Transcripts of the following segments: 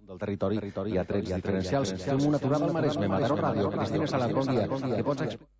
Del territori hi ha trets diferencials. Fem una aturada al Maresme, Mataró Ràdio. Cristina Salat, bon dia. Què pots explicar?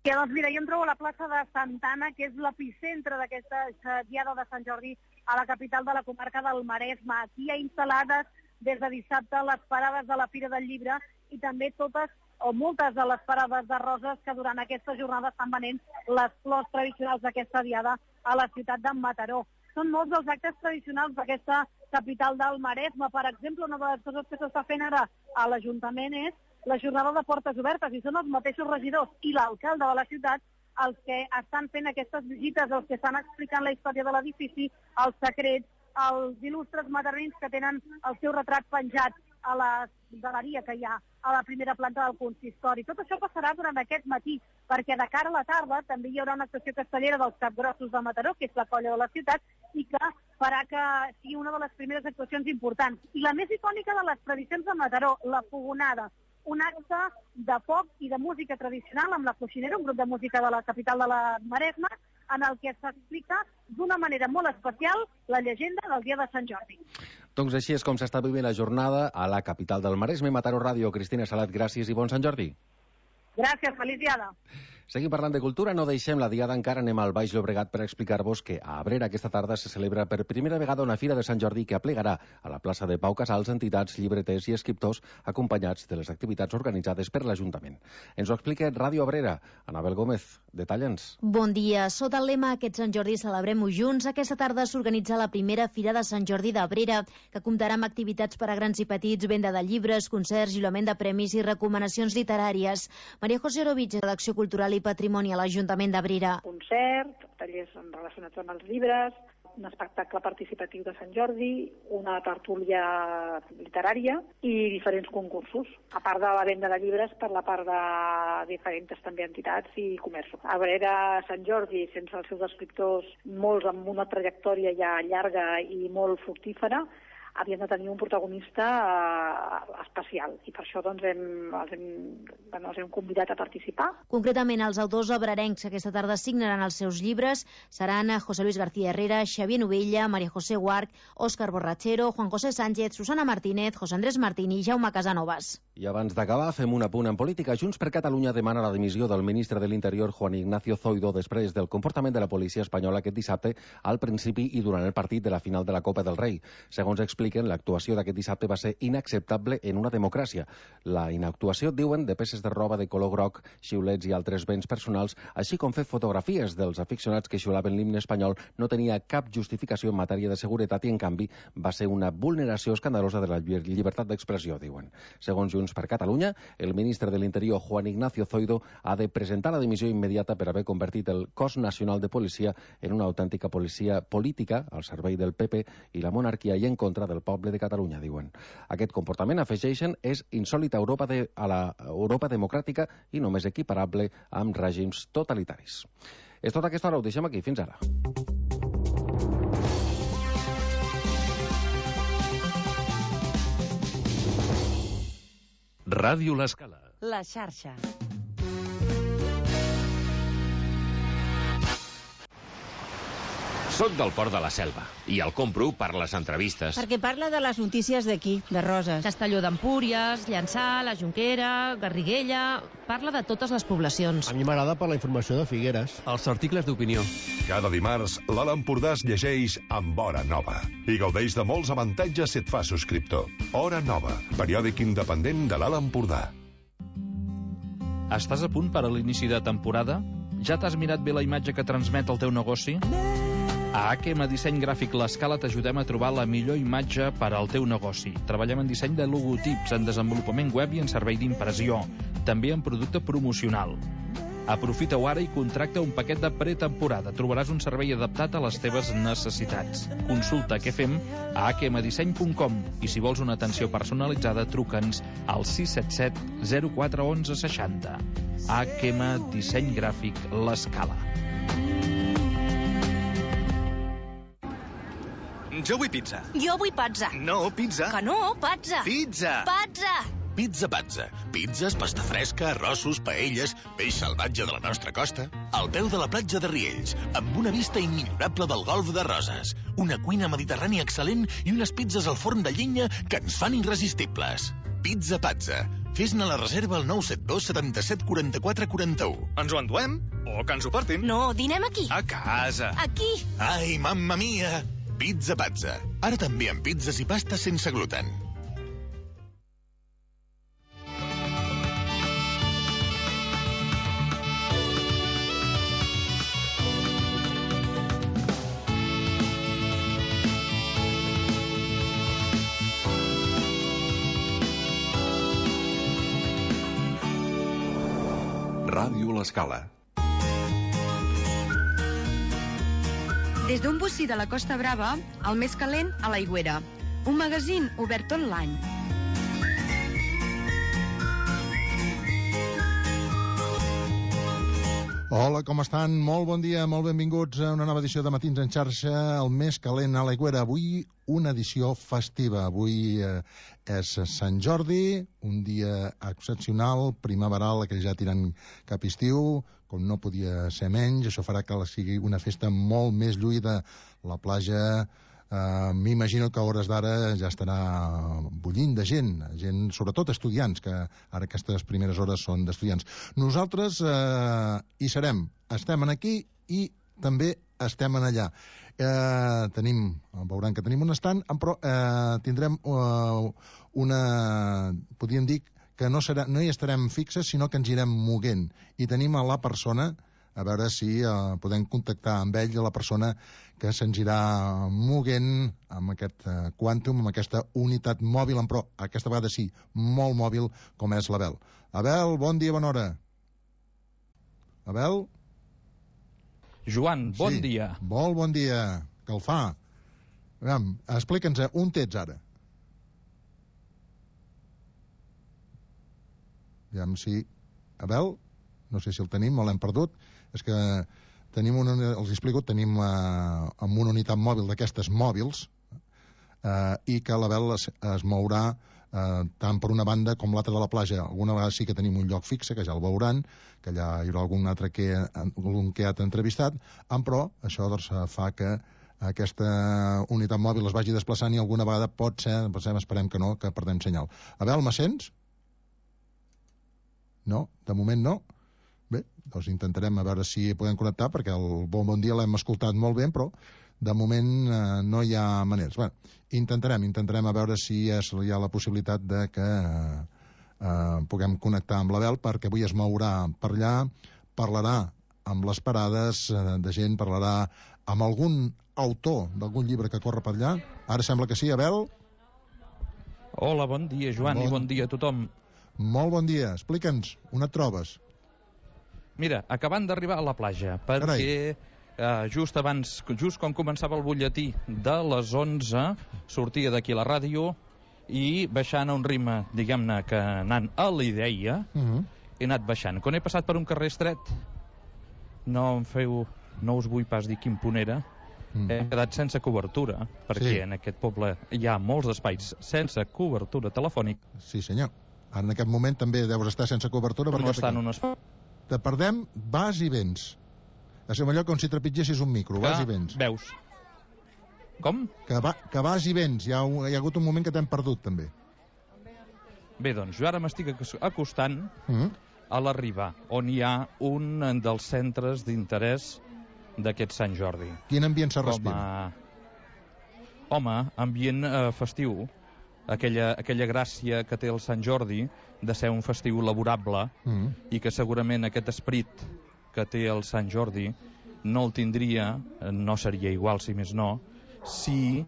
Doncs mira, jo em trobo a la plaça de Santana, que és l'epicentre d'aquesta diada de Sant Jordi a la capital de la comarca del Maresme. Aquí hi ha instal·lades des de dissabte les parades de la Fira del Llibre i també totes o moltes de les parades de roses que durant aquesta jornada estan venent les flors tradicionals d'aquesta diada a la ciutat de Mataró. Són molts els actes tradicionals d'aquesta capital del Maresme. Per exemple, una de les coses que s'està fent ara a l'Ajuntament és la jornada de portes obertes, i són els mateixos regidors i l'alcalde de la ciutat els que estan fent aquestes visites, els que estan explicant la història de l'edifici, els secrets, els il·lustres matarrins que tenen el seu retrat penjat a la galeria que hi ha a la primera planta del consistori. Tot això passarà durant aquest matí, perquè de cara a la tarda també hi haurà una actuació castellera dels Capgrossos de Mataró, que és la colla de la ciutat, i que farà que sigui una de les primeres actuacions importants. I la més icònica de les tradicions de Mataró, la Fogonada, un acte de foc i de música tradicional amb la Coixinera, un grup de música de la capital de la Maresme, en el que s'explica d'una manera molt especial la llegenda del dia de Sant Jordi. Doncs així és com s'està vivint la jornada a la capital del Maresme, Mataró Ràdio. Cristina Salat, gràcies i bon Sant Jordi. Gràcies, feliç diada. Seguim parlant de cultura, no deixem la diada encara, anem al Baix Llobregat per explicar-vos que a Abrera aquesta tarda se celebra per primera vegada una Fira de Sant Jordi que aplegarà a la plaça de Pau Casals entitats, llibreters i escriptors acompanyats de les activitats organitzades per l'Ajuntament. Ens ho explica Ràdio Abrera. Anabel Gómez, detalla'ns. Bon dia. Sota el lema Aquest Sant Jordi celebrem-ho junts, aquesta tarda s'organitza la primera Fira de Sant Jordi d'Abrera, que comptarà amb activitats per a grans i petits, venda de llibres, concerts, lliurament de premis i recomanacions literàries. Maria José Orovich, redacció cultural i patrimoni a l'Ajuntament d'Abrera. Concert, tallers relacionats amb els llibres, un espectacle participatiu de Sant Jordi, una tertúlia literària i diferents concursos, a part de la venda de llibres per la part de diferents també entitats i comerços. Abrera, Sant Jordi, sense els seus escriptors, molts amb una trajectòria ja llarga i molt fructífera, havien de tenir un protagonista especial i per això doncs, els hem convidat a participar. Concretament, els autors abrarencs aquesta tarda signaran els seus llibres seran José Luis García Herrera, Xavier Novella, María José Guarch, Óscar Borrachero, Juan José Sánchez, Susana Martínez, José Andrés Martín i Jaume Casanovas. I abans d'acabar, fem un apunt en política. Junts per Catalunya demana la dimissió del ministre de l'Interior, Juan Ignacio Zoido, després del comportament de la policia espanyola aquest dissabte al principi i durant el partit de la final de la Copa del Rei. Segons expliquen, l'actuació d'aquest dissabte va ser inacceptable en una democràcia. La inactuació, diuen, de peces de roba de color groc, xiulets i altres béns personals, així com fer fotografies dels aficionats que xiulaven l'himne espanyol, no tenia cap justificació en matèria de seguretat i, en canvi, va ser una vulneració escandalosa de la llibertat d'expressió, diuen. Segons Junts per Catalunya, el ministre de l'Interior, Juan Ignacio Zoido, ha de presentar la dimissió immediata per haver convertit el cos nacional de policia en una autèntica policia política al servei del PP i la monarquia i en contra del poble de Catalunya, diuen. Aquest comportament, afegeixen, és insòlit a la Europa democràtica i només equiparable amb règims totalitaris. És tot aquesta hora, ho deixem aquí. Fins ara. Ràdio L'Escala. La xarxa. Soc del Port de la Selva i el compro per les entrevistes. Perquè parla de les notícies d'aquí, de Roses. Castelló d'Empúries, Llançà, la Jonquera, Garriguella... Parla de totes les poblacions. A mi m'agrada per la informació de Figueres. Els articles d'opinió. Cada dimarts, l'Alt Empordà es llegeix amb Hora Nova i gaudeix de molts avantatges si et fa subscriptor. Hora Nova, periòdic independent de l'Alt Empordà. Estàs a punt per a l'inici de temporada? Ja t'has mirat bé la imatge que transmet el teu negoci? A AQM Disseny Gràfic L'Escala t'ajudem a trobar la millor imatge per al teu negoci. Treballem en disseny de logotips, en desenvolupament web i en servei d'impressió. També en producte promocional. Aprofita-ho ara i contracta un paquet de pretemporada. Trobaràs un servei adaptat a les teves necessitats. Consulta què fem a akmdisseny.com i si vols una atenció personalitzada, truca'ns al 677 04 11 60. AQM Disseny Gràfic L'Escala. Jo vull pizza. Jo vull pizza. No, pizza. Que no, pizza. Pizza. Pizza. Pizza Pazza. Pizzas, pasta fresca, arrossos, paelles, peix salvatge de la nostra costa. Al peu de la platja de Riells, amb una vista immillorable del golf de Roses. Una cuina mediterrània excel·lent i unes pizzas al forn de llenya que ens fan irresistibles. Pizza Pazza. Fes-ne la reserva al 972 77 44 41. Ens ho enduem? O que ens ho portin? No, dinem aquí. A casa. Aquí. Ai, mamma mia! Pizza Pazza. Ara també amb pizzas i pastes sense gluten. Ràdio L'Escala. Des d'un bocí de la Costa Brava, el més calent a l'Aigüera. Un magazín obert tot l'any. Hola, com estan? Molt bon dia, molt benvinguts a una nova edició de Matins en xarxa, el més calent a l'Aigüera. Avui una edició festiva. Avui és Sant Jordi, un dia excepcional, primaveral, que ja tirant cap estiu, com no podia ser menys. Això farà que sigui una festa molt més lluïda. La platja, m'imagino que a hores d'ara ja estarà bullint de gent, sobretot estudiants, que ara aquestes primeres hores són d'estudiants. Nosaltres hi serem, estem aquí i també estem allà. Veuran que tenim un estand, però tindrem podríem dir que no hi estarem fixes, sinó que ens irem moguent. I tenim a la persona, a veure si podem contactar amb ell, la persona que se'ns irà moguent amb aquest quàntum, amb aquesta unitat mòbil, però aquesta vegada sí, molt mòbil, com és l'Abel. Abel, bon dia, bona hora. Abel? Joan, bon dia. Molt bon dia, que el fa. Explica'ns, on ets ara? Aviam si... Abel? No sé si el tenim o l'hem perdut. És que tenim els explico, tenim amb una unitat mòbil d'aquestes mòbils i que l'Abel es mourà tant per una banda com l'altra de la platja. Alguna vegada sí que tenim un lloc fixe, que ja el veuran, que allà hi haurà algun altre que ha entrevistat, però això doncs, fa que aquesta unitat mòbil es vagi desplaçant i alguna vegada pot ser, esperem que no, que perdem senyal. Abel, me sents? No? De moment no? Bé, doncs intentarem a veure si podem connectar, perquè el bon dia l'hem escoltat molt bé, però de moment no hi ha maneres. Bé, intentarem a veure si hi ha la possibilitat de que puguem connectar amb l'Abel, perquè avui es mourà per allà, parlarà amb les parades de gent, parlarà amb algun autor d'algun llibre que corre per allà. Ara sembla que sí, Abel? Hola, bon dia, Joan, i bon dia a tothom. Molt bon dia. Explica'ns, on et trobes? Mira, acabant d'arribar a la platja, perquè just quan començava el butlletí de les 11, sortia d'aquí la ràdio i baixant a un ritme, diguem-ne, que anant a l'Ideia, he anat baixant. Quan he passat per un carrer estret, no us vull pas dir quin punt era, he quedat sense cobertura, perquè en aquest poble hi ha molts espais sense cobertura telefònica. Sí, senyor. Ara en aquest moment també deus estar sense cobertura. No està en un espai. Te perdem, vas i vens. És allò com si trepitgessis un micro, vas i vens. Veus. Com? Que vas i vens. Hi ha hagut un moment que t'hem perdut, també. Bé, doncs, jo ara m'estic acostant a l'Arribar, on hi ha un dels centres d'interès d'aquest Sant Jordi. Quin ambient se respira? Home, ambient festiu. Aquella gràcia que té el Sant Jordi de ser un festiu laborable i que segurament aquest esperit que té el Sant Jordi no el tindria, no seria igual si més no, si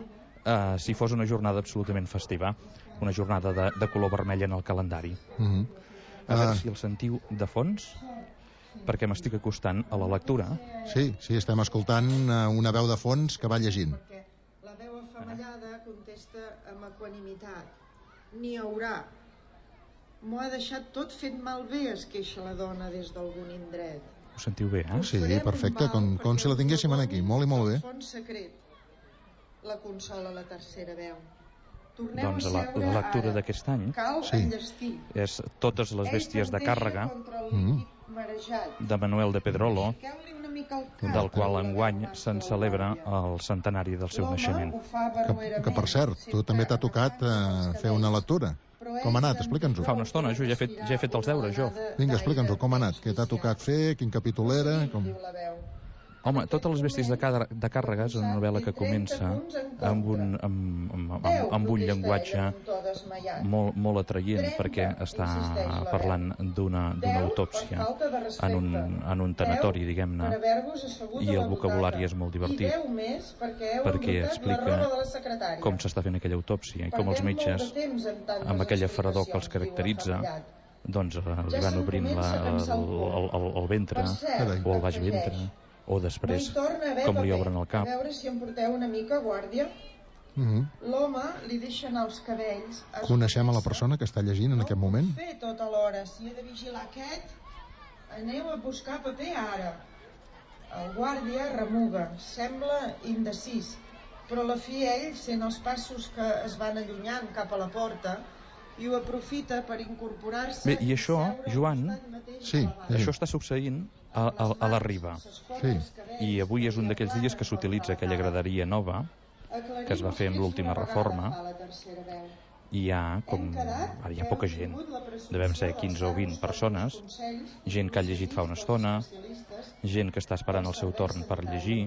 fos una jornada absolutament festiva, una jornada de color vermell en el calendari. A veure si el sentiu de fons, perquè m'estic acostant a la lectura. Sí, estem escoltant una veu de fons que va llegint. La veu afamellada contesta amb equanimitat. N'hi haurà. M'ho ha deixat tot fet malbé, es queixa la dona des d'algun indret. Ho sentiu bé, eh? Sí, perfecte, com si la tinguéssim aquí, molt i molt bé. Fons secret. La consola la tercera veu. Doncs la lectura d'aquest any és Totes les bèsties de càrrega, de Manuel de Pedrolo, del qual enguany se'n celebra el centenari del seu naixement. Que per cert, tu també t'ha tocat fer una lectura. Com ha anat? Explica'ns-ho. Fa una estona, jo ja he fet els deures, jo. Vinga, explica'ns-ho, com ha anat? Què t'ha tocat fer? Quin capítol era? Home, Totes les bèsties de càrrega és una novel·la que comença amb un llenguatge molt atraient, perquè està parlant d'una autòpsia en un tanatori, diguem-ne, i el vocabulari és molt divertit, perquè explica com s'està fent aquella autòpsia i com els metges, amb aquella fredor que els caracteritza, doncs li van obrint el ventre o el baix ventre, o després com li obren el cap. A veure si em porteu una mica guàrdia. L'home li deixa anar els cabells. Coneixem a la persona que està llegint en aquest moment? No ho puc fer tota l'hora. Si he de vigilar aquest, aneu a buscar paper ara. El guàrdia remuga, sembla indecis, però a la fi ell sent els passos que es van allunyant cap a la porta i ho aprofita per incorporar-se. Bé, i això, Joan, això està succeint a la Riba. I avui és un d'aquells dies que s'utilitza aquella graderia nova que es va fer amb l'última reforma, i hi ha poca gent, devem ser 15 o 20 persones, gent que ha llegit fa una estona, gent que està esperant el seu torn per llegir,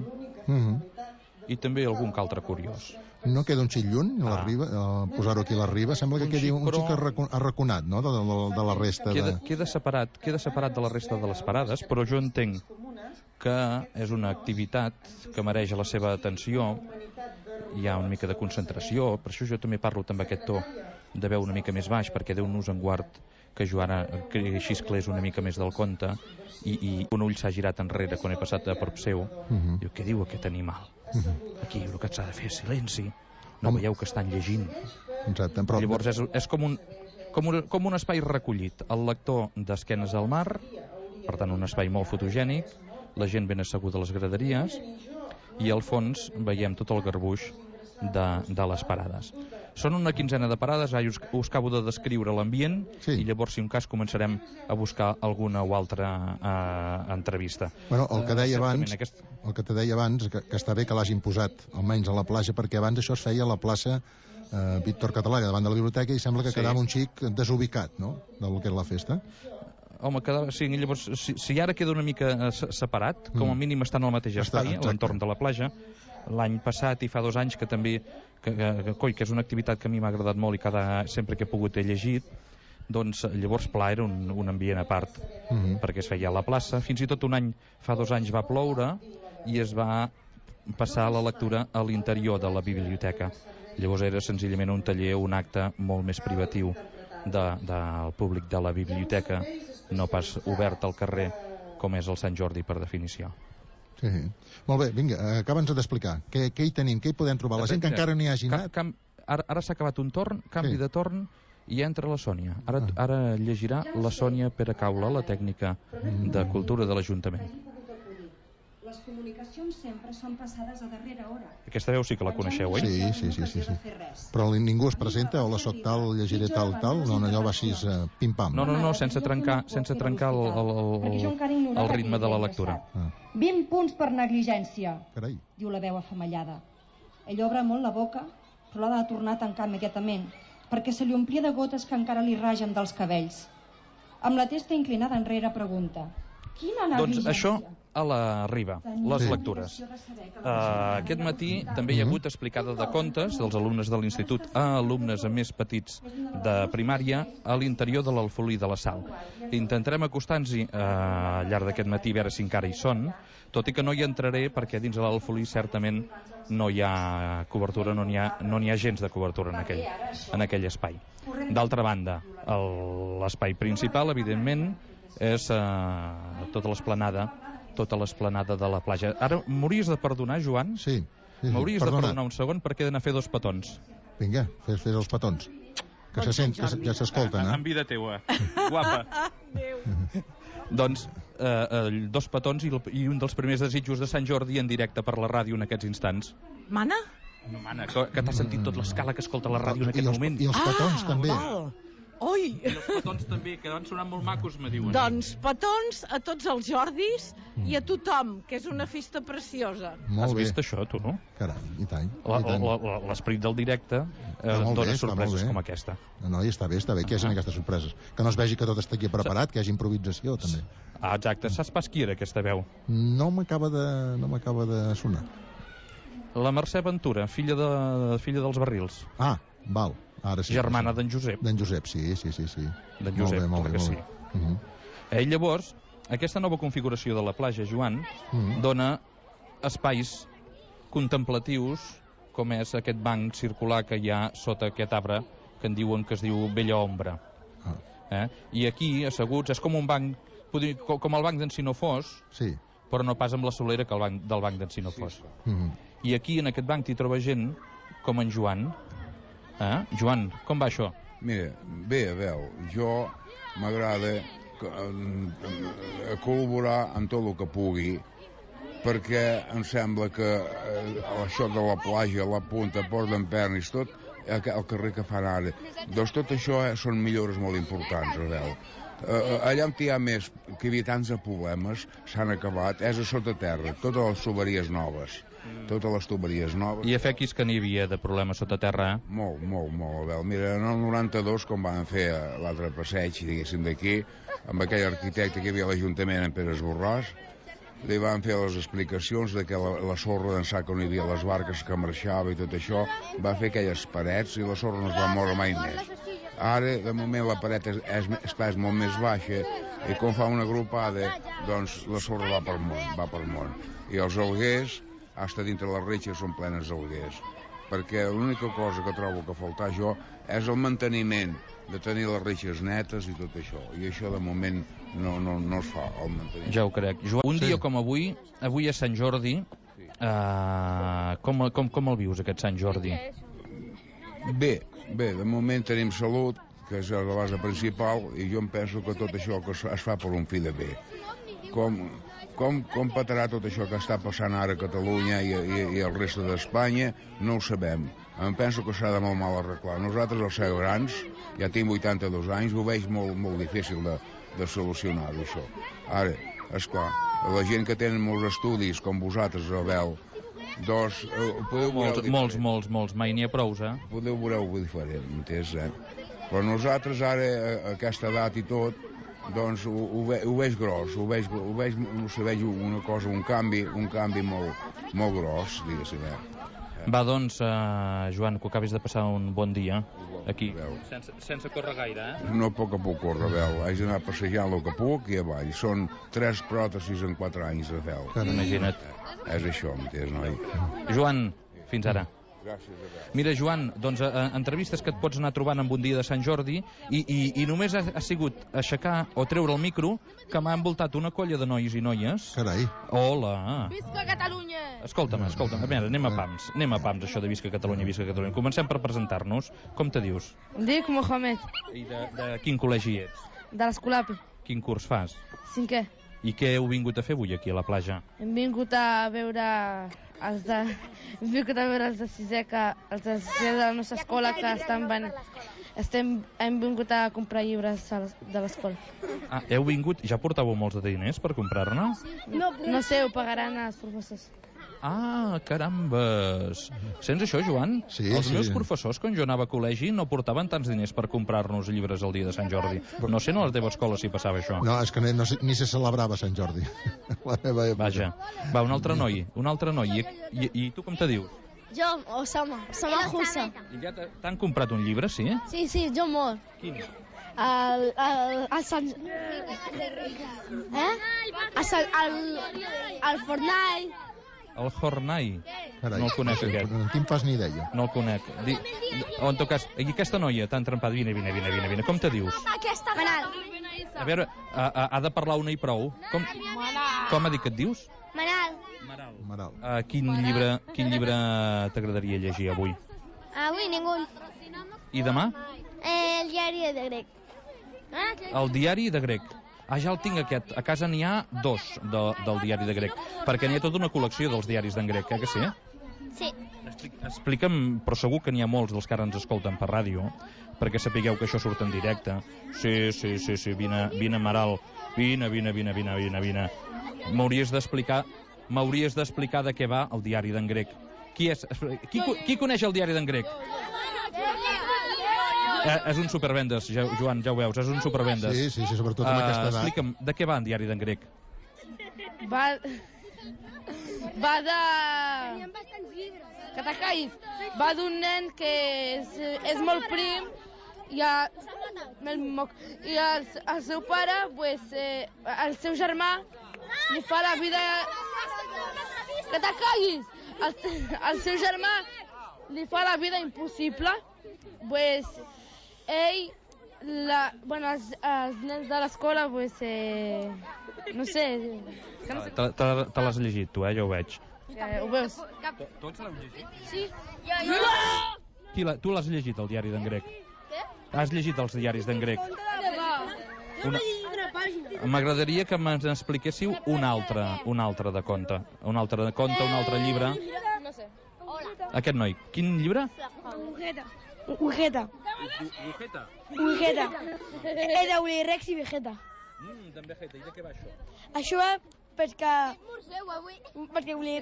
i també algun que altre curiós. No queda un xic lluny, a la Riba, posar-ho aquí a la Riba? Sembla que quedi un xic arraconat, no?, de la resta. Queda separat de la resta de les parades, però jo entenc que és una activitat que mereix la seva atenció, hi ha una mica de concentració, per això jo també parlo amb aquest to de veu una mica més baix, perquè Déu-nos en guard que jo ara xisclés una mica més del compte, i un ull s'ha girat enrere quan he passat a prop seu, diu, què diu aquest animal? Aquí el que s'ha de fer és silenci, no veieu que estan llegint. Exacte, però llavors és com un espai recollit, el lector d'esquenes al mar, per tant un espai molt fotogènic, la gent ben asseguda a les graderies, i al fons veiem tot el garbuix de les parades. Són una quinzena de parades, us acabo de descriure l'ambient, i llavors, si un cas, començarem a buscar alguna o altra entrevista. Bueno, el que te deia abans, que està bé que l'hagin posat, almenys a la plaça, perquè abans això es feia a la plaça Víctor Català, davant de la biblioteca, i sembla que quedava un xic desubicat, no?, del que és la festa. Home, llavors, si ara queda una mica separat, com a mínim estan al mateix espai, a l'entorn de la platja. L'any passat i fa 2 anys que també, que és una activitat que a mi m'ha agradat molt i sempre que he pogut he llegit, doncs llavors Pla era un ambient a part, perquè es feia a la plaça. Fins i tot un any, fa 2 anys, va ploure i es va passar la lectura a l'interior de la biblioteca. Llavors era senzillament un taller, un acte molt més privatiu del públic de la biblioteca, no pas obert al carrer com és el Sant Jordi per definició. Sí. Molt bé, vinga, acaba'ns d'explicar. Què hi tenim? Què hi podem trobar? La gent que encara no hi hagi anat... Ara s'ha acabat un torn, canvi de torn, i entra la Sònia. Ara llegirà la Sònia Pere Caula, la tècnica de cultura de l'Ajuntament. Les comunicacions sempre són passades a darrera hora. Aquesta veu sí que la coneixeu, oi? Sí. Però ningú es presenta, hola, soc tal, llegiré tal, no, allò va així pim-pam. No, sense trencar el ritme de la lectura. 20 punts per negligència, carai, diu la veu afamellada. Ell obre molt la boca, però l'ha de tornar a tancar immediatament, perquè se li omplia de gotes que encara li ragen dels cabells. Amb la testa inclinada enrere pregunta: quina negligència? Doncs això a la Riba, les lectures. Aquest matí també hi ha hagut explicada de contes dels alumnes de l'institut a alumnes més petits de primària a l'interior de l'Alfolí de la Sal. Intentarem acostar-nos-hi al llarg d'aquest matí a veure si encara hi són, tot i que no hi entraré perquè dins de l'Alfolí certament no hi ha cobertura, no n'hi ha gens de cobertura en aquell espai. D'altra banda, l'espai principal, evidentment, és tota l'esplanada de la platja. Ara m'hauries de perdonar, Joan? Sí. M'hauries de perdonar un segon perquè he d'anar a fer 2 petons. Vinga, fes els petons. Que se sent, que ja s'escolten, En vida teua, guapa. Doncs 2 petons i un dels primers desitjos de Sant Jordi en directe per la ràdio en aquests instants. Mana? No, mana, que t'has sentit tot l'escala que escolta la ràdio en aquest moment. I els petons també. Ui! I els petons també, que van sonar molt macos, me diuen. Doncs petons a tots els Jordis i a tothom, que és una festa preciosa. Molt Has bé. vist això, tu, no? Carai, i tant. L'esperit del directe molt dona bé, està sorpreses molt bé. com aquesta. No, i està bé que hi hagi aquestes sorpreses. Que no es vegi que tot està aquí preparat, que hi hagi improvisació, també. Ah, exacte. Saps pas qui era aquesta veu? No m'acaba de sonar. La Mercè Ventura, filla dels Barrils. Ah, val. Ara sí. Germana d'en Josep. D'en Josep, sí. D'en Josep, molt bé. Sí. Llavors, aquesta nova configuració de la platja, Joan, dona espais contemplatius, com és aquest banc circular que hi ha sota aquest arbre, que en diuen que es diu Bella Ombra. I aquí, asseguts, és com un banc, com el banc d'en Sinofós, sí, però no pas amb la solera que del banc d'en Sinofós. I aquí, en aquest banc, t'hi troba gent com en Joan. Joan, com va això? Mira, bé, a veure, jo m'agrada col·laborar amb tot el que pugui, perquè em sembla que això de la platja, la punta, Port d'en Pernis, tot el carrer que fan ara, doncs tot això són millores molt importants, a veure. Allà on hi ha més, que hi havia tants de problemes, s'han acabat, és a sota terra, totes les tuberies noves. Totes les tuberies noves. I a fequis que n'hi havia de problemes sota terra, Molt, a veure. Mira, en el 92, com van fer l'altre passeig, diguéssim, d'aquí, amb aquell arquitecte que hi havia a l'Ajuntament, en Pere Esborràs, li van fer les explicacions de que la sorra d'ençà que no hi havia les barques que marxava i tot això, va fer aquelles parets i la sorra no es va moure mai més. Ara, de moment, la paret és molt més baixa i com fa una gropada, doncs la sorra va per món. I els alguers, fins dintre les retxes són plenes d'alguers, perquè l'única cosa que trobo que faltar jo és el manteniment de tenir les retxes netes i tot això, i això de moment no es fa, el manteniment. Ja ho crec. Joan, un dia com avui és Sant Jordi, com el vius, aquest Sant Jordi? Bé, de moment tenim salut, que és la base principal, i jo em penso que tot això que es fa per un fi de bé. Com patarà tot això que està passant ara a Catalunya i el reste d'Espanya, no ho sabem. Em penso que s'ha de molt mal arreglar. Nosaltres, els grans, ja tinc 82 anys, ho veig molt difícil de solucionar això. Ara, esclar, la gent que tenen molts estudis, com vosaltres, Abel, doncs podeu veure... Molts, mai n'hi ha prous, Podeu veure-ho diferent, m'entens, Però nosaltres ara, a aquesta edat i tot, doncs ho veig gros, ho veig una cosa, un canvi molt gros, diguéssim. Va, doncs, Joan, que acabis de passar un bon dia aquí. Sense córrer gaire, No puc córrer, Abel. Haig d'anar passejant el que puc i avall. Són 3 pròtesis en 4 anys, Abel. Imagina't. És això, m'entens, noi? Joan, fins ara. Gràcies, Abel. Mira, Joan, doncs entrevistes que et pots anar trobant en un dia de Sant Jordi i només ha sigut aixecar o treure el micro que m'ha envoltat una colla de nois i noies. Carai. Hola. Visca Catalunya! Escolta'm. A veure, anem a pams, això de Visca Catalunya. Comencem per presentar-nos. Com te dius? Em dic Mohamed. I de quin col·legi ets? De l'Escolapi. Quin curs fas? 5è. I què heu vingut a fer avui aquí a la platja? Hem vingut a veure els de 6è, els de 6è de la nostra escola que hem vingut a comprar llibres de l'escola. Heu vingut, ja portàveu molts de diners per comprar-ne? No sé, ho pagaran els professors. Carambes! Sents això, Joan? Sí, Els meus professors, quan jo anava a col·legi, no portaven tants diners per comprar-nos llibres el dia de Sant Jordi. No sé, a la teva escola si passava això. No, és que ni se celebrava Sant Jordi. La meva època. Vaja. Va, un altre noi. I tu com te dius? Jo, Osama Hussa. I ja t'han comprat un llibre, sí? Sí, jo molt. Quin? El Sant... El Fortnite. El Hornai. Carai, no el conec, aquest. No en fas ni idea. No el conec. En tot cas, aquesta noia t'ha entrampat. Vine. Com te dius? Manal. A veure, ha de parlar una i prou. Com ha dit que et dius? Manal. Quin llibre t'agradaria llegir avui? Avui ningú. I demà? El diari de grec. El diari de grec. Ja el tinc aquest. A casa n'hi ha 2 del diari de grec. Perquè n'hi ha tota una col·lecció dels diaris d'en grec, que sí? Sí. Explica'm, però segur que n'hi ha molts dels que ara ens escolten per ràdio, perquè sapigueu que això surt en directe. Sí, vine, Amaral. Vine. M'hauries d'explicar de què va el diari d'en Grec. Qui coneix el diari d'en Grec? És un supervendes, Joan, ja ho veus, és un supervendes. Sí, sobretot amb aquesta edat. Explica'm, de què va el diari d'en Grec? Va de... Que te callis. Va d'un nen que és molt prim i el seu pare, el seu germà, li fa la vida... Que te callis! El seu germà li fa la vida impossible. Ell, els nens de l'escola, no sé... Te l'has llegit, tu, ja ho veig. Ho veus? Tots l'heu llegit? Sí. Tu l'has llegit, el diari d'en Grec? Què? Has llegit els diaris d'en Grec? M'agradaria que m'expliquéssiu un altre de conte. Un altre llibre. No sé. Aquest noi. Quin llibre? Vegeta. És d'Uli Rex i Vegeta. D'en Vegeta. I de què va això? Això va perquè Uli...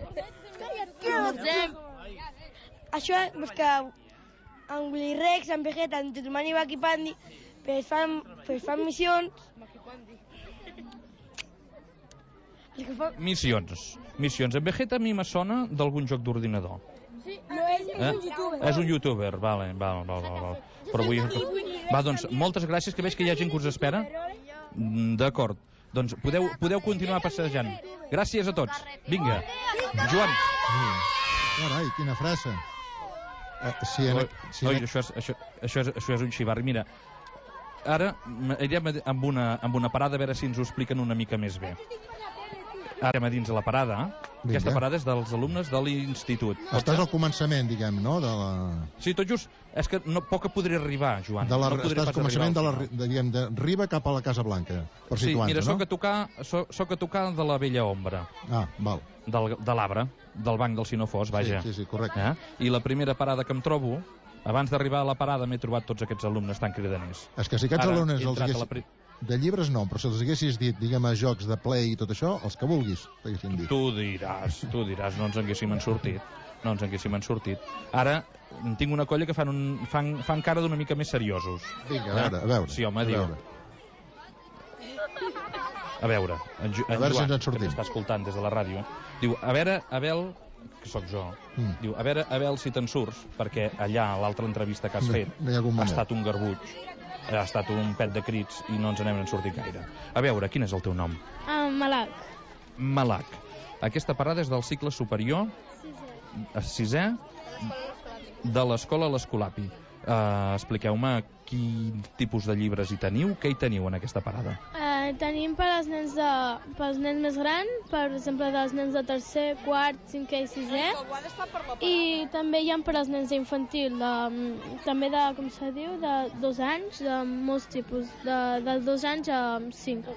Això és perquè en Willy Rex, en Vegeta, en Tetumani i Bakipandi fan missions. Missions. En Vegeta a mi me sona d'algun joc d'ordinador. Sí, no, és un youtuber. És un youtuber, vale. Però vull... Va, doncs, moltes gràcies, que veig que hi ha gent que us espera. D'acord. Doncs podeu continuar passejant. Gràcies a tots. Vinga. Joan. Carai, quina frase. Això és un xivarri. Mira, ara anirem amb una parada a veure si ens ho expliquen una mica més bé. Ara a dins de la parada. Aquesta parada és dels alumnes de l'institut. Estàs al començament, diguem, no? Sí, tot just. És que poc podré arribar, Joan. Estàs al començament de Riba cap a la Casa Blanca, per situar-nos, no? Sí, mira, soc a tocar de la Vella Ombra. Ah, val. De l'Arbre, del banc del Sinofós, vaja. Sí, correcte. I la primera parada que em trobo, abans d'arribar a la parada m'he trobat tots aquests alumnes tan cridaners. És que si aquests alumnes els haguessis... De llibres no, però si els haguessis dit, diguem, a jocs de play i tot això, els que vulguis, t'haguessin dit. Tu diràs, no ens haguéssim sortit. Ara, tinc una colla que fan cara d'una mica més seriosos. Vinga, a veure. Sí, home, diu... A veure, en Joan, que t'està escoltant des de la ràdio, diu, a veure, Abel, que sóc jo, diu, a veure, Abel, si te'n surts, perquè allà, l'altra entrevista que has fet, ha estat un garbuig. Ha estat un pet de crits i no ens n'hem sortit gaire. A veure, quin és el teu nom? Malac. Aquesta parada és del cicle superior, sisè, de l'escola l'Escolapi. Expliqueu-me quin tipus de llibres hi teniu, què hi teniu en aquesta parada? Tenim pels nens més grans, per exemple, dels nens de tercer, quart, cinquè i sisè, i també hi ha per als nens d'infantil, també de, com se diu, de 2 anys, de molts tipus, de 2 anys a 5.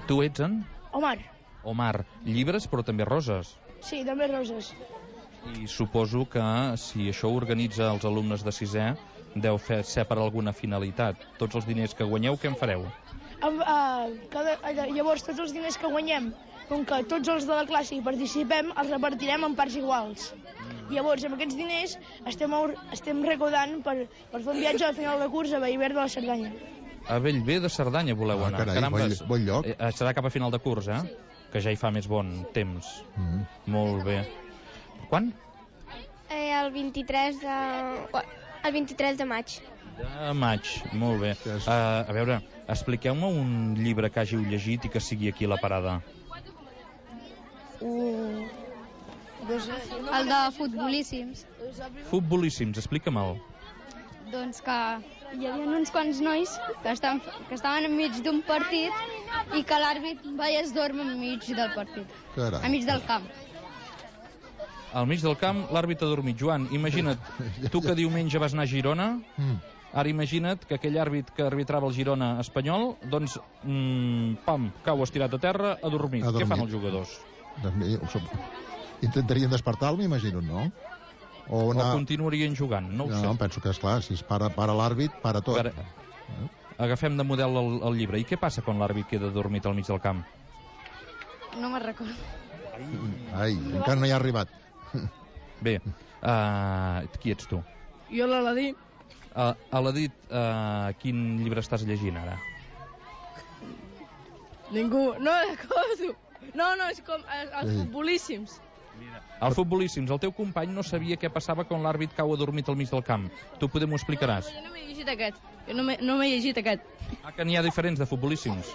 Tu ets en? Omar. Llibres, però també roses. Sí, també roses. I suposo que si això ho organitza els alumnes de sisè, deu ser per alguna finalitat. Tots els diners que guanyeu, què en fareu? Llavors, tots els diners que guanyem, com que tots els de la classe hi participem, els repartirem en parts iguals. Llavors, amb aquests diners estem recaudant per fer un viatge al final de curs a Bellver de la Cerdanya. A Bellver de Cerdanya voleu anar? Carai, bon lloc. Serà cap a final de curs, Sí. Que ja hi fa més bon temps. Molt bé. Quan? El 23 de maig. De maig, molt bé. A veure, expliqueu-me un llibre que hàgiu llegit i que sigui aquí a la parada. El de Futbolíssims. Futbolíssims, explica'm-el. Doncs que hi havia uns quants nois que estaven enmig d'un partit i que l'àrbit va i es dorm enmig del partit. Carai. Enmig del camp. Al mig del camp, l'àrbit ha dormit. Joan, imagina't, tu que diumenge vas anar a Girona, ara imagina't que aquell àrbit que arbitrava el Girona espanyol, doncs, cau estirat a terra, ha dormit. Què fan els jugadors? Intentarien despertar-lo, m'imagino, no? O continuarien jugant, no ho sé. No, penso que, esclar, si es para l'àrbit, para tot. Agafem de model el llibre. I què passa quan l'àrbit queda dormit al mig del camp? No me'n recordo. Ai, encara no hi ha arribat. Bé, qui ets tu? Jo l'Aladí. Aladí, quin llibre estàs llegint ara? Ningú, no recordo. No, és com els futbolíssims. Els futbolíssims, el teu company no sabia què passava quan l'àrbit cau adormit al mig del camp. Tu poder m'ho explicaràs? Jo no m'he llegit aquest. Jo no m'he llegit aquest. Que n'hi ha diferents de futbolíssims.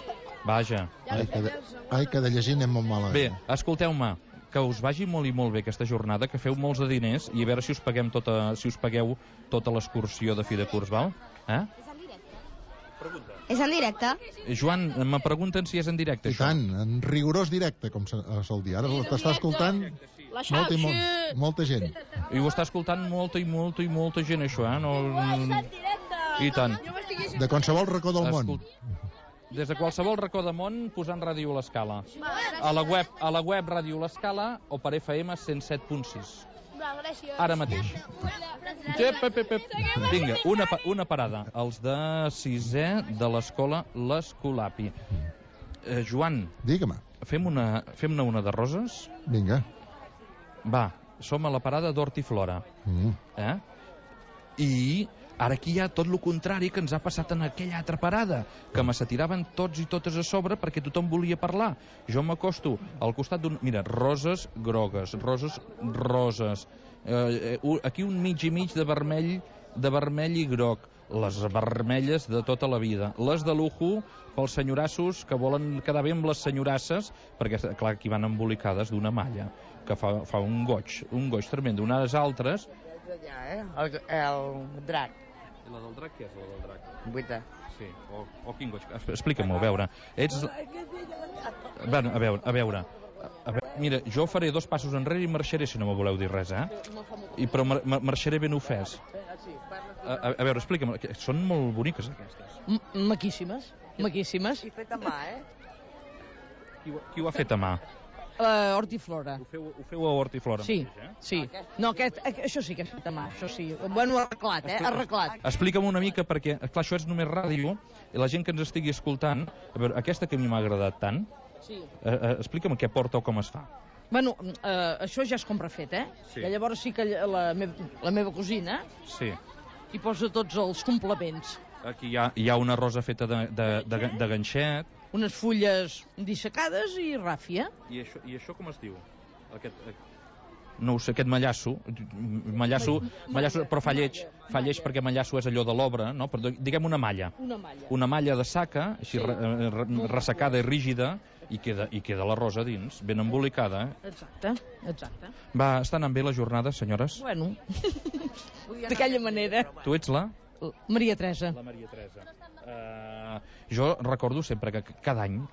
Vaja. Ai, que de llegir anem molt malament. Bé, escolteu-me, que us vagi molt i molt bé aquesta jornada, que feu molts de diners i a veure si us pagueu tota l'excursió de fi de curs, val? És en directe? Joan, me pregunten si és en directe, això. I tant, en rigorós directe, com sol dir. Ara t'està escoltant molta gent. I ho està escoltant molta gent, això, I tant. De qualsevol racó del món. Des de qualsevol racó del món, posant Ràdio L'Escala. A la web Ràdio L'Escala o per FM 107.6. Ara mateix. Vinga, una parada. Els de 6è de l'escola l'Escolapi. Joan. Digue-me. Fem-ne una de roses? Vinga. Va, som a la parada d'Hort i Flora. I ara aquí hi ha tot el contrari que ens ha passat en aquella altra parada, que me s'atiraven tots i totes a sobre perquè tothom volia parlar. Jo m'acosto al costat d'un... Mira, roses grogues, roses. Aquí un mig i mig de vermell i groc. Les vermelles de tota la vida. Les de lujo pels senyorassos que volen quedar bé amb les senyorasses, perquè, clar, aquí van embolicades d'una malla, que fa un goig tremendo. Unes altres... El drac. I la del drac, què és la del drac? Buita. Sí, o quin goig. Explica-m'ho, a veure. Bueno, a veure. Mira, jo faré 2 passos enrere i marxaré si no me voleu dir res, Però marxaré ben ofès. A veure, explica'm. Són molt boniques, aquestes. Maquíssimes. I fet a mà, Qui ho ha fet a mà? Hort i Flora. Ho feu a Hort i Flora sí, mateix, Sí. No, això sí que és fet a mà, això sí. Bueno, arreglat, arreglat. Explica'm una mica, perquè, clar, això és només ràdio, i la gent que ens estigui escoltant, a veure, aquesta que a mi m'ha agradat tant, explica'm què porta o com es fa. Bueno, això ja és com refet, Sí. I llavors sí que la meva cosina hi posa tots els complements. Aquí hi ha una rosa feta de ganxet. Unes fulles dissecades i ràfia. I això com es diu? No ho sé, aquest mallasso, però fa lleig perquè mallasso és allò de l'obra, no? Però diguem una malla. Una malla de saca, així ressecada i rígida, i queda la rosa dins, ben embolicada. Exacte. Va, està anant bé la jornada, senyores? Bueno, d'aquella manera. Tu ets la? Maria Teresa. La Maria Teresa. Jo recordo sempre que cada any,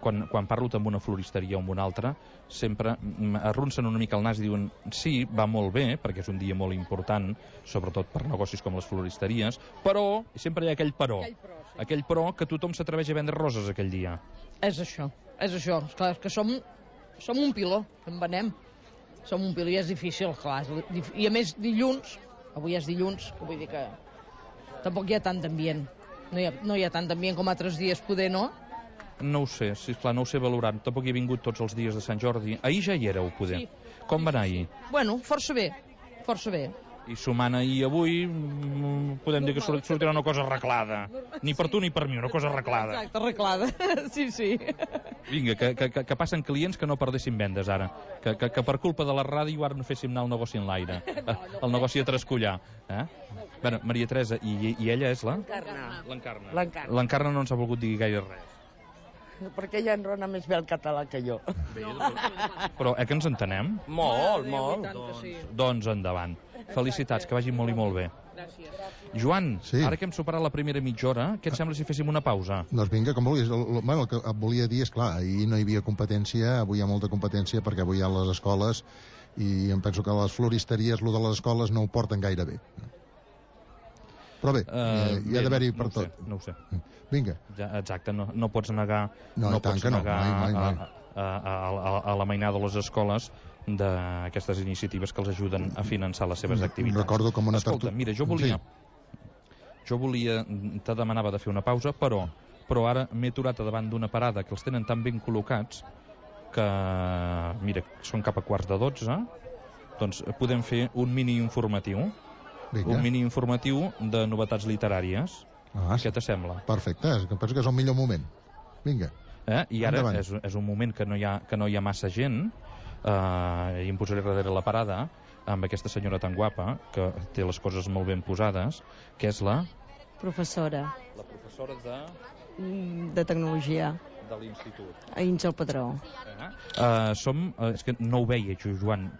quan parlo amb una floristeria o amb una altra, sempre arronsen una mica el nas i diuen sí, va molt bé, perquè és un dia molt important, sobretot per negocis com les floristeries, però, sempre hi ha aquell però que tothom s'atreveix a vendre roses aquell dia. És això. Esclar, que som un piló, en venem. Som un piló i és difícil, clar. I a més dilluns, avui és dilluns, vull dir que tampoc hi ha tant d'ambient. No hi ha tant d'ambient com altres dies, poder no? No ho sé, sisplau, no ho sé valorar. Tampoc hi he vingut tots els dies de Sant Jordi. Ahir ja hi éreu, poder. Sí. Com va anar ahir? Bueno, força bé. I sumant ahir i avui, podem dir que sortirà una cosa arreglada. Ni per tu ni per mi, una cosa arreglada. Exacte, arreglada. Sí. Vinga, que passen clients que no perdessin vendes ara. Que per culpa de la ràdio ara no féssim anar el negoci en l'aire. El negoci a trascollar. Bueno, Maria Teresa, i ella és la? L'Encarna. L'Encarna no ens ha volgut dir gaire res. Perquè ella enrona més bé el català que jo. Però que ens entenem? Molt. Doncs endavant. Felicitats, que vagi molt i molt bé. Gràcies. Joan, ara que hem superat la primera mitja hora, què et sembla si féssim una pausa? Doncs vinga, com vulguis. El que et volia dir és, clar, ahir no hi havia competència, avui hi ha molta competència perquè avui hi ha les escoles i em penso que les floristeries, lo de les escoles, no ho porten gaire bé. Però bé, hi ha d'haver-hi per tot. No ho sé. Vinga. Exacte, no pots negar mai. a la mainada de les escoles d'aquestes iniciatives que els ajuden a finançar les seves activitats. Recordo com una Escolta, mira, jo volia, te demanava de fer una pausa, però ara m'he aturat davant d'una parada que els tenen tan ben col·locats que, mira, són cap a 11:15, doncs podem fer un mini informatiu. Un mini informatiu de novetats literàries. Què t'assembla? Perfecte, penso que és el millor moment. Vinga. I ara és un moment que no hi ha massa gent, i em posaré darrere la parada amb aquesta senyora tan guapa que té les coses molt ben posades, que és la professora. La professora de tecnologia de l'institut. A Àngel Padró. És que no ho veia, Joan,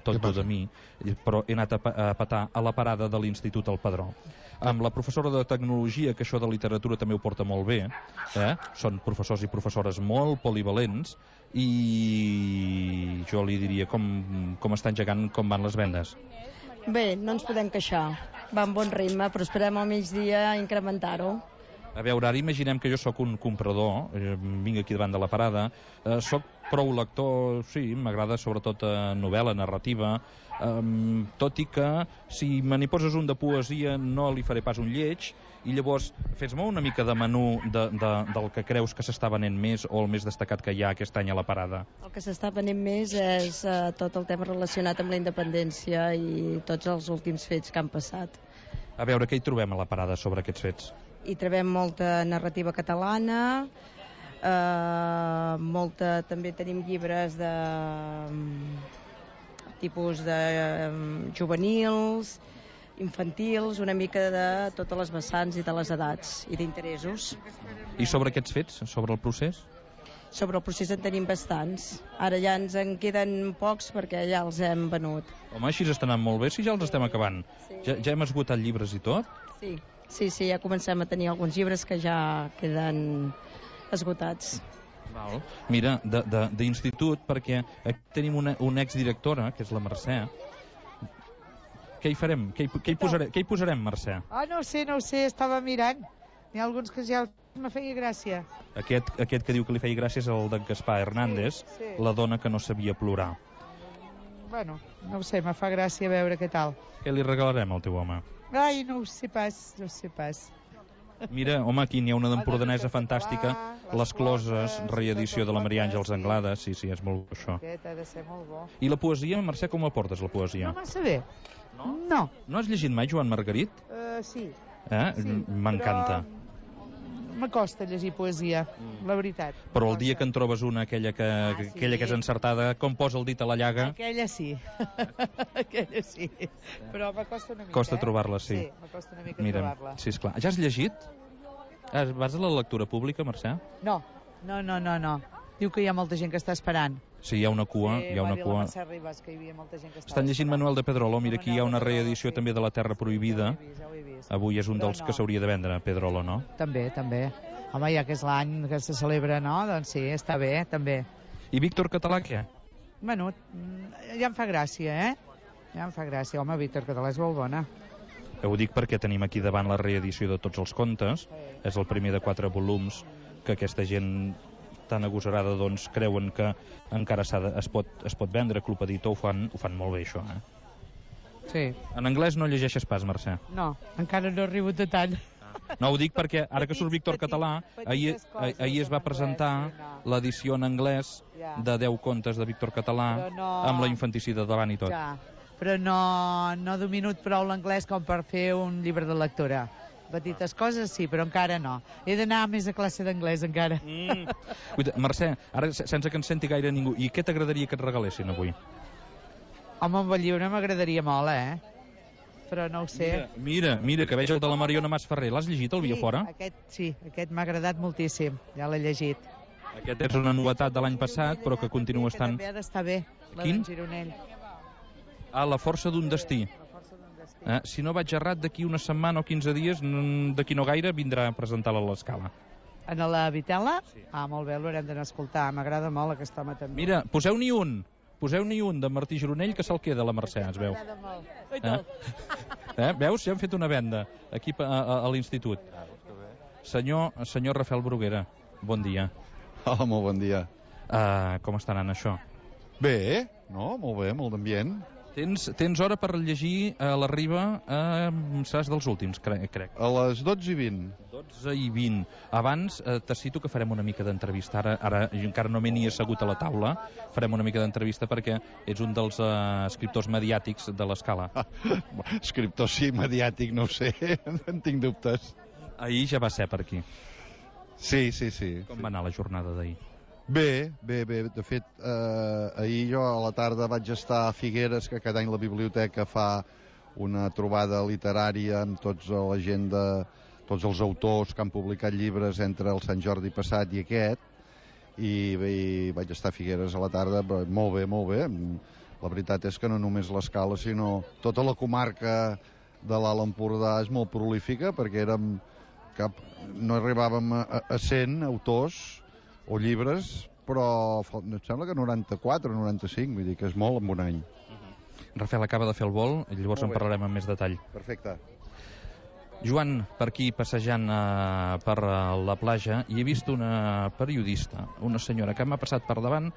tot de mi, però he anat a petar a la parada de l'Institut al Padró. Amb la professora de tecnologia, que això de literatura també ho porta molt bé, són professors i professores molt polivalents, i jo li diria com està engegant, com van les vendes. Bé, no ens podem queixar. Va en bon ritme, però esperem al migdia incrementar-ho. A veure, ara imaginem que jo sóc un comprador, vinc aquí davant de la parada, sóc prou lector, sí, m'agrada sobretot novel·la, narrativa, tot i que si me n'hi poses un de poesia no li faré pas un lleig, i llavors fes-me una mica de menú del que creus que s'està venent més o el més destacat que hi ha aquest any a la parada. El que s'està venent més és tot el tema relacionat amb la independència i tots els últims fets que han passat. A veure, què hi trobem a la parada sobre aquests fets? Hi trobem molta narrativa catalana, també tenim llibres de tipus de juvenils, infantils, una mica de totes les vessants i de les edats i d'interessos. I sobre aquests fets, sobre el procés? Sobre el procés en tenim bastants. Ara ja ens en queden pocs perquè ja els hem venut. Home, així està anant molt bé, si ja els estem acabant. Ja hem esgotat llibres i tot? Sí, ja comencem a tenir alguns llibres que ja queden esgotats. Mira, d'institut, perquè aquí tenim una exdirectora, que és la Mercè. Què hi farem? Què hi posarem, Mercè? No ho sé, estava mirant. N'hi ha alguns que ja me feia gràcia. Aquest que diu que li feia gràcia és el de Gaspar Hernández, la dona que no sabia plorar. Bueno, no ho sé, me fa gràcia veure què tal. Què li regalarem al teu home? Ai, no ho sé pas. Mira, home, aquí n'hi ha una d'empordanesa fantàstica, Les Closes, reedició de la Maria Àngels Anglada, sí, és molt bo això. Aquest ha de ser molt bo. I la poesia, Mercè, com la portes, la poesia? No massa bé. No. No has llegit mai Joan Margarit? Sí. M'encanta. M'acosta llegir poesia, la veritat. Però el dia que en trobes una, aquella que és encertada, com posa el dit a la llaga... Aquella sí. Però m'acosta una mica. Costa trobar-la, sí. Sí, m'acosta una mica trobar-la. Sí, esclar. Ja has llegit? Vas a la lectura pública, Mercè? No. Diu que hi ha molta gent que està esperant. Sí, hi ha una cua. Sí, va dir la Mercè Ribas que hi havia molta gent que estava Estan llegint Manuel de Pedrolo. Mira, aquí hi ha una reedició també de La Terra Prohibida. Avui és un dels que s'hauria de vendre, Pedrolo, no? També. Home, ja que és l'any que se celebra, no? Doncs sí, està bé, també. I Víctor Català, què? Bueno, ja em fa gràcia, Ja em fa gràcia. Home, Víctor Català és molt bona. Ho dic perquè tenim aquí davant la reedició de tots els contes. És el primer de 4 volums que aquesta gent tan agosarada doncs creuen que encara es pot vendre. Club Editor ho fan molt bé, això, Sí. En anglès no llegeixes pas, Mercè? No, encara no he arribat de tant. No, ho dic perquè ara que surt Víctor Català, ahir es va presentar l'edició en anglès de 10 contes de Víctor Català amb la infanticida davant i tot. Però no domino prou l'anglès com per fer un llibre de lectura. Petites coses sí, però encara no. He d'anar més a classe d'anglès encara. Mercè, ara sense que ens senti gaire ningú, i què t'agradaria que et regalessin avui? Home, un bon llibre m'agradaria molt, però no ho sé. Mira, que veig el de la Mariona Masferrer. L'has llegit, el Via Fora? Aquest m'ha agradat moltíssim, ja l'he llegit. Aquest és una novetat de l'any passat, però que continua estant... També ha d'estar bé, la d'en Gironell. La força d'un destí. Si no vaig errat, d'aquí una setmana o 15 dies, d'aquí no gaire, vindrà a presentar-la a l'Escala. En la Vitela? Sí. Molt bé, l'haurem d'anar a escoltar. M'agrada molt aquest home també. Mira, poseu-n'hi un de Martí Gironell que se'l queda a la Mercè, es veu. Veus? Ja hem fet una venda aquí a l'institut. Senyor Rafael Bruguera, bon dia. Hola, molt bon dia. Com està anant això? Bé, No? Molt bé, molt d'ambient. Tens hora per llegir a la Riba, seràs dels últims, crec. A les 12:20. 12:20. Abans te cito que farem una mica d'entrevista. Ara encara no m'he ni assegut a la taula. Farem una mica d'entrevista perquè ets un dels escriptors mediàtics de l'Escala. Escriptor sí, mediàtic, no ho sé. En tinc dubtes. Ahir ja va ser per aquí. Sí. Com va anar la jornada d'ahir? Bé. De fet, ahir jo a la tarda vaig estar a Figueres, que cada any la biblioteca fa una trobada literària amb tota la gent tots els autors que han publicat llibres entre el Sant Jordi passat i aquest, i vaig estar a Figueres a la tarda, molt bé. La veritat és que no només l'Escala, sinó tota la comarca de l'Alt Empordà és molt prolífica, perquè no arribàvem a 100 autors o llibres, però em sembla que 94 o 95, vull dir que és molt en un any. Rafael acaba de fer el vol, i llavors en parlarem amb més detall. Perfecte. Joan, per aquí passejant per la platja, i he vist una periodista, una senyora que m'ha passat per davant,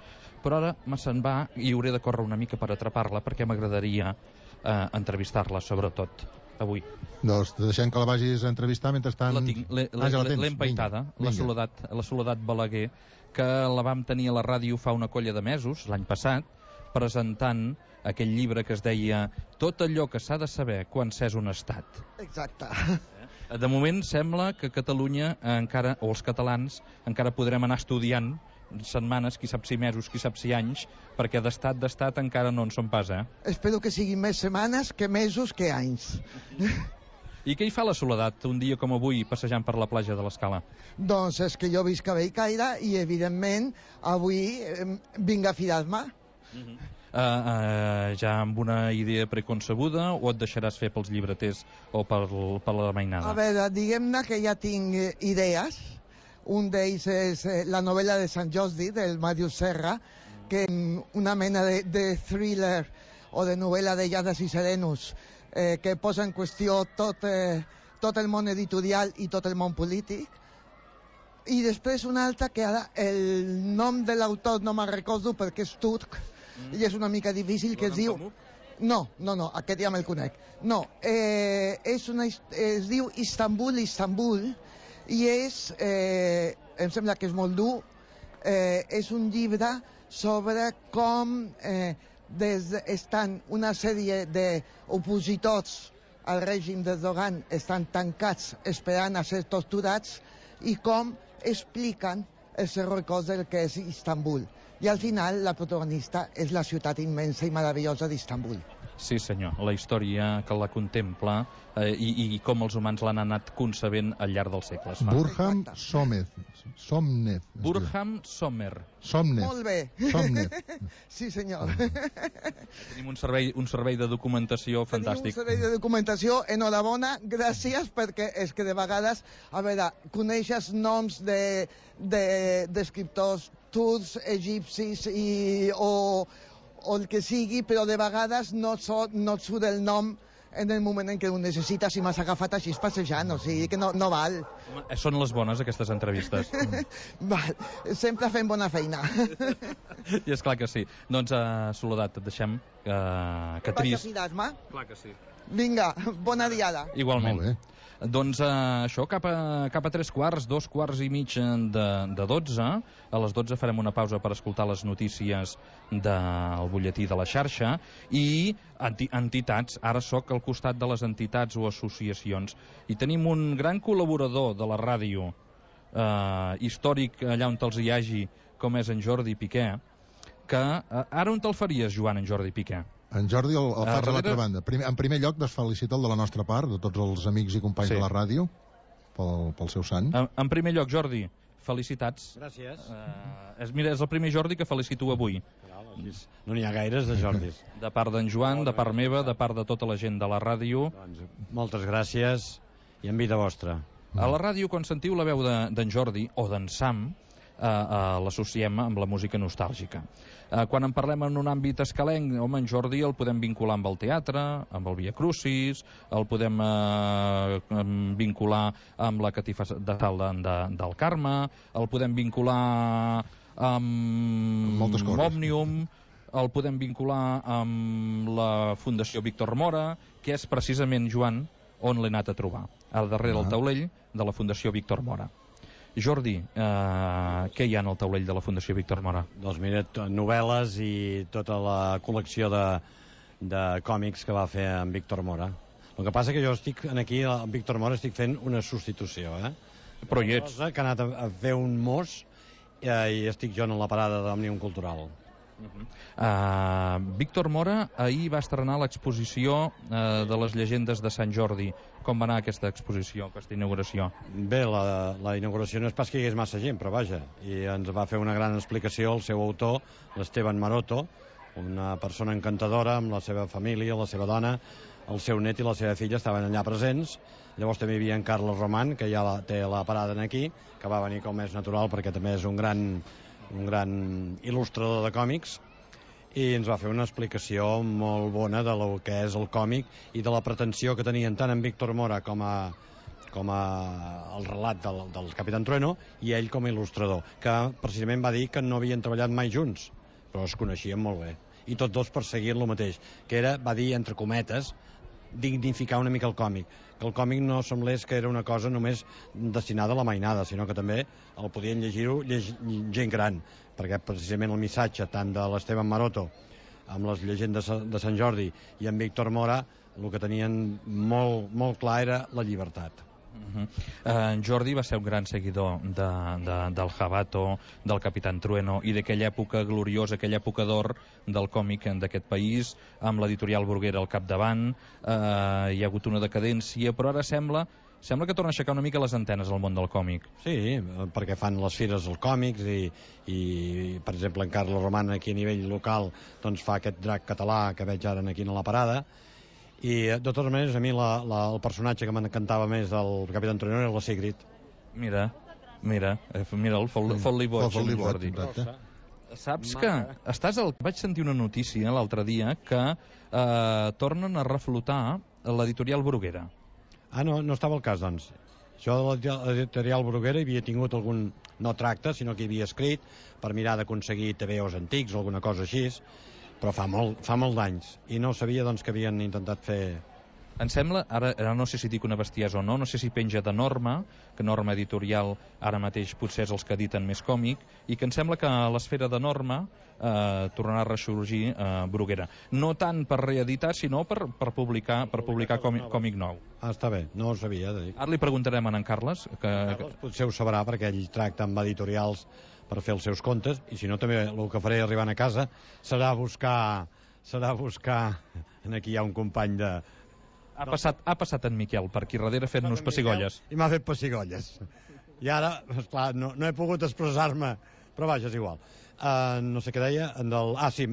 però ara se'n va i hauré de córrer una mica per atrapar-la, perquè m'agradaria entrevistar-la, sobretot avui. Doncs deixem que la vagis a entrevistar mentrestant... L'he empaitada, la Soledat Balaguer, que la vam tenir a la ràdio fa una colla de mesos, l'any passat, presentant aquell llibre que es deia Tot allò que s'ha de saber quan s'és un estat. Exacte. De moment sembla que Catalunya encara, o els catalans, encara podrem anar estudiant setmanes, qui sap si mesos, qui sap si anys, perquè d'estat encara no en som pas, Espero que siguin més setmanes que mesos que anys. I què hi fa la Soledat un dia com avui passejant per la platja de l'Escala? Doncs és que jo visc a Bellcaire i evidentment avui vinc a firar-me. Ja amb una idea preconcebuda o et deixaràs fer pels llibreters o per la mainada? A veure, diguem-ne que ja tinc idees. Un d'ells és la novel·la de Sant Jordi, del Màrius Serra, que una mena de thriller o de novel·la de lladres i serenos que posa en qüestió tot el món editorial i tot el món polític. I després una altra que ara el nom de l'autor no me'n recordo perquè és turc i és una mica difícil, que es diu... No, aquest ja me'l conec. No, es diu Istanbul, i em sembla que és molt dur, és un llibre sobre com estan una sèrie d'opositors al règim d'Erdogan estan tancats esperant a ser torturats i com expliquen els records del que és Istanbul. I al final la protagonista és la ciutat immensa i meravellosa d'Istanbul. Sí senyor, la història que la contempla i com els humans l'han anat concebent al llarg dels segles. Burham Somnev. Burham Sommer. Molt bé. Somnev. Sí senyor. Tenim un servei de documentació fantàstic. Tenim un servei de documentació, enhorabona, gràcies, perquè és que de vegades, a veure, coneixes noms d'escriptors turcs, egipcis o el que sigui, però de vegades no et surt el nom en el moment en què ho necessites i m'has agafat així passejant, o sigui que no val. Són les bones, aquestes entrevistes. Val, sempre fem bona feina. I és clar que sí. Doncs, Soledat, et deixem que trist. Vaig a firar-me? Clar que sí. Vinga, bona diada. Igualment. Molt bé. Doncs això, cap a 3:15, 2:15 de 12. A les 12 farem una pausa per escoltar les notícies del butlletí de la xarxa i entitats. Ara sóc al costat de les entitats o associacions i tenim un gran col·laborador de la ràdio històric allà on te'ls hi hagi, com és en Jordi Piqué, que ara on te'l faries, Joan, en Jordi Piqué? En Jordi el faig a l'altra banda. En primer lloc, desfelicita el de la nostra part, de tots els amics i companys de la ràdio, pel seu sant. En primer lloc, Jordi, felicitats. Gràcies. Mira, és el primer Jordi que felicito avui. No n'hi ha gaires de Jordis. De part d'en Joan, de part meva, de part de tota la gent de la ràdio. Moltes gràcies i en vida vostra. A la ràdio, quan sentiu la veu d'en Jordi o d'en Sam, l'associem amb la música nostàlgica. Quan en parlem en un àmbit escalenc, home, en Jordi el podem vincular amb el teatre, amb el Via Crucis, el podem vincular amb la Catifa de Sal del Carme, el podem vincular amb Òmnium, el podem vincular amb la Fundació Víctor Mora, que és precisament, Joan, on l'he anat a trobar, al darrere del taulell de la Fundació Víctor Mora. Jordi, què hi ha en el taulell de la Fundació Víctor Mora? Doncs mira, novel·les i tota la col·lecció de còmics que va fer en Víctor Mora. El que passa que jo estic aquí, amb Víctor Mora, estic fent una substitució, Però hi ets. Que ha anat a fer un mos i estic jo en la parada d'Òmnium Cultural. Víctor Mora ahir va estrenar l'exposició de les llegendes de Sant Jordi. Com va anar aquesta exposició, aquesta inauguració? Bé, la inauguració no és pas que hi hagués massa gent, però vaja, i ens va fer una gran explicació el seu autor, l'Esteban Maroto, una persona encantadora amb la seva família, la seva dona, el seu net i la seva filla estaven allà presents. Llavors també hi havia en Carlos Román, que ja té la parada aquí, que va venir com és natural perquè també és un gran il·lustrador de còmics, i ens va fer una explicació molt bona de lo que és el còmic i de la pretensió que tenien tant en Víctor Mora com a el relat del Capitán Trueno i ell com a il·lustrador, que precisament va dir que no havien treballat mai junts, però es coneixien molt bé, i tots dos perseguien el mateix, que era, va dir entre cometes, dignificar una mica el còmic, que el còmic no semblés que era una cosa només destinada a la mainada, sinó que també el podien llegir-ho gent gran, perquè precisament el missatge tant de l'Esteban Maroto amb les llegendes de Sant Jordi i en Víctor Mora, el que tenien molt clar era la llibertat. En Jordi va ser un gran seguidor del Jabato, del Capitán Trueno i d'aquella època gloriosa, aquella època d'or del còmic d'aquest país, amb l'editorial Bruguera al capdavant. Hi ha hagut una decadència, però ara sembla que torna a aixecar una mica les antenes al món del còmic. Sí, perquè fan les fires dels còmics i per exemple, en Carlos Román aquí a nivell local doncs fa aquest drac català que veig ara aquí a la parada. I de totes maneres a mi el personatge que m'encantava més del Capitán Trueno era la Sigrid. Mira, el fot-li boig, Jordi. Saps que vaig sentir una notícia l'altre dia que tornen a reflotar l'editorial Bruguera. No estava al cas, doncs. Jo de l'editorial Bruguera havia tingut algun, no tracte, sinó que havia escrit per mirar d'aconseguir TVOs antics o alguna cosa així, però fa molt d'anys, i no sabia doncs que havien intentat fer... Em sembla, ara no sé si dic una bestiesa o no sé si penja de Norma, que Norma Editorial ara mateix potser és els que editen més còmic, i que em sembla que a l'esfera de Norma tornarà a ressorgir Bruguera. No tant per reeditar, sinó per publicar còmic nou. Està bé, no ho sabia. Ara li preguntarem a en Carles. Carles potser ho sabrà, perquè ell tracta amb editorials per fer els seus contes, i si no també el que faré arribant a casa serà buscar aquí hi ha un company de... Ha passat en Miquel per aquí darrere fent-nos pessigolles. I m'ha fet pessigolles. I ara, esclar, no he pogut expressar-me, però vaja, és igual. No sé què deia, sí,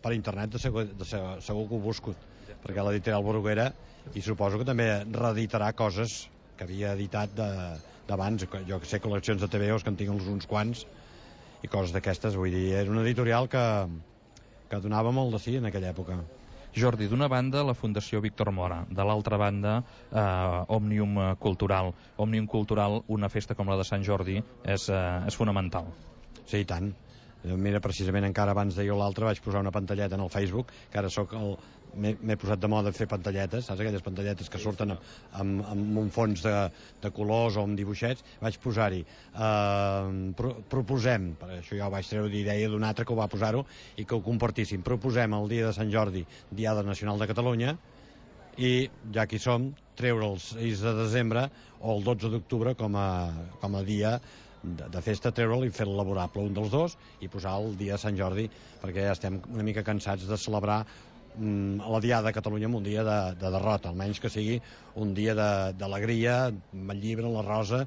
per internet segur que ho busco, perquè l'editorial Bruguera, i suposo que també reeditarà coses que havia editat d'abans, jo que sé, col·leccions de TVOs que en tinc uns quants, i coses d'aquestes, vull dir, era una editorial que donava molt de sí en aquella època. Jordi, d'una banda la Fundació Víctor Mora, de l'altra banda Òmnium Cultural. Òmnium Cultural, una festa com la de Sant Jordi, és fonamental. Sí, i tant. Mira, precisament encara abans de jo l'altre vaig posar una pantalleta en el Facebook, que ara m'he posat de moda fer pantalletes, saps aquelles pantalletes que surten amb un fons de colors o amb dibuixets. Vaig posar-hi proposem, per això ja ho vaig treure d'idea d'un altre que ho va posar-ho i que ho compartíssim, proposem el dia de Sant Jordi, Diada Nacional de Catalunya, i ja que hi som, treure el 6 de desembre o el 12 d'octubre com a dia de festa, treure'l i fer-lo laborable un dels dos i posar el dia de Sant Jordi, perquè ja estem una mica cansats de celebrar la Diada de Catalunya amb un dia de derrota, almenys que sigui un dia d'alegria, amb el llibre, la rosa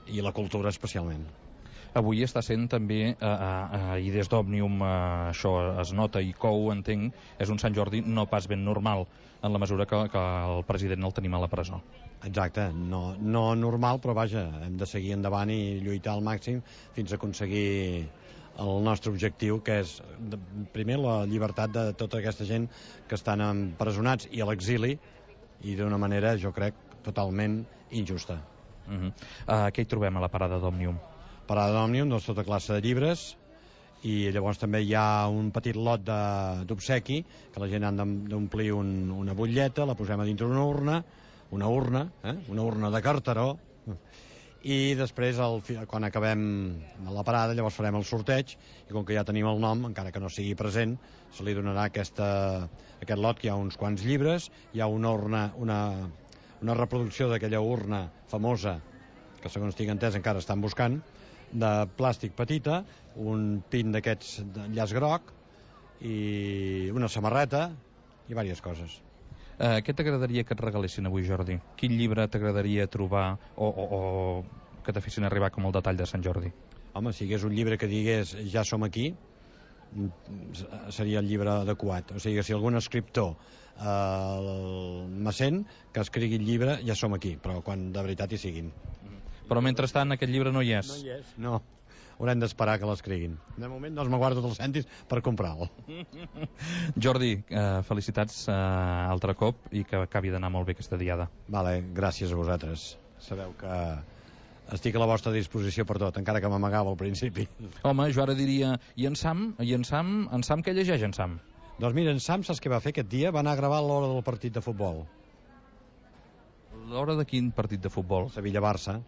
i la cultura especialment. Avui està sent també, i des d'Òmnium això es nota i cou, entenc, és un Sant Jordi no pas ben normal, en la mesura que el president el tenim a la presó. Exacte, no normal, però vaja, hem de seguir endavant i lluitar al màxim fins a aconseguir el nostre objectiu, que és primer la llibertat de tota aquesta gent que estan empresonats i a l'exili, i d'una manera, jo crec, totalment injusta. Què hi trobem a la parada d'Òmnium? Parada d'Òmnium, doncs tota classe de llibres i llavors també hi ha un petit lot d'obsequi que la gent ha d'omplir una butlleta, la posem a dintre una urna de carteró, i després quan acabem la parada llavors farem el sorteig, i com que ja tenim el nom, encara que no sigui present, se li donarà aquest lot, que hi ha uns quants llibres, hi ha una urna, una reproducció d'aquella urna famosa que segons tinc entès encara estan buscant, de plàstic petita, un pin d'aquests de llaç groc i una samarreta i diverses coses. Què t'agradaria que et regalessin avui, Jordi? Quin llibre t'agradaria trobar o que te fessin arribar com el detall de Sant Jordi? Home, si hagués un llibre que digués ja som aquí, seria el llibre adequat. O sigui, si algun escriptor me sent, que escrigui el llibre ja som aquí, però quan de veritat hi siguin. Però mentrestant aquest llibre no hi és. No hi és, no. Haurem d'esperar que l'escriguin. De moment no me guardo els cèntims per comprar-lo. Jordi, felicitats altre cop i que acabi d'anar molt bé aquesta diada. Vale, gràcies a vosaltres. Sabeu que estic a la vostra disposició per tot, encara que m'amagava al principi. Home, jo ara diria, i en Sam què llegeix en Sam? Doncs mira, en Sam saps què va fer aquest dia? Va anar a gravar l'hora del partit de futbol. L'hora de quin partit de futbol? Sevilla-Barça.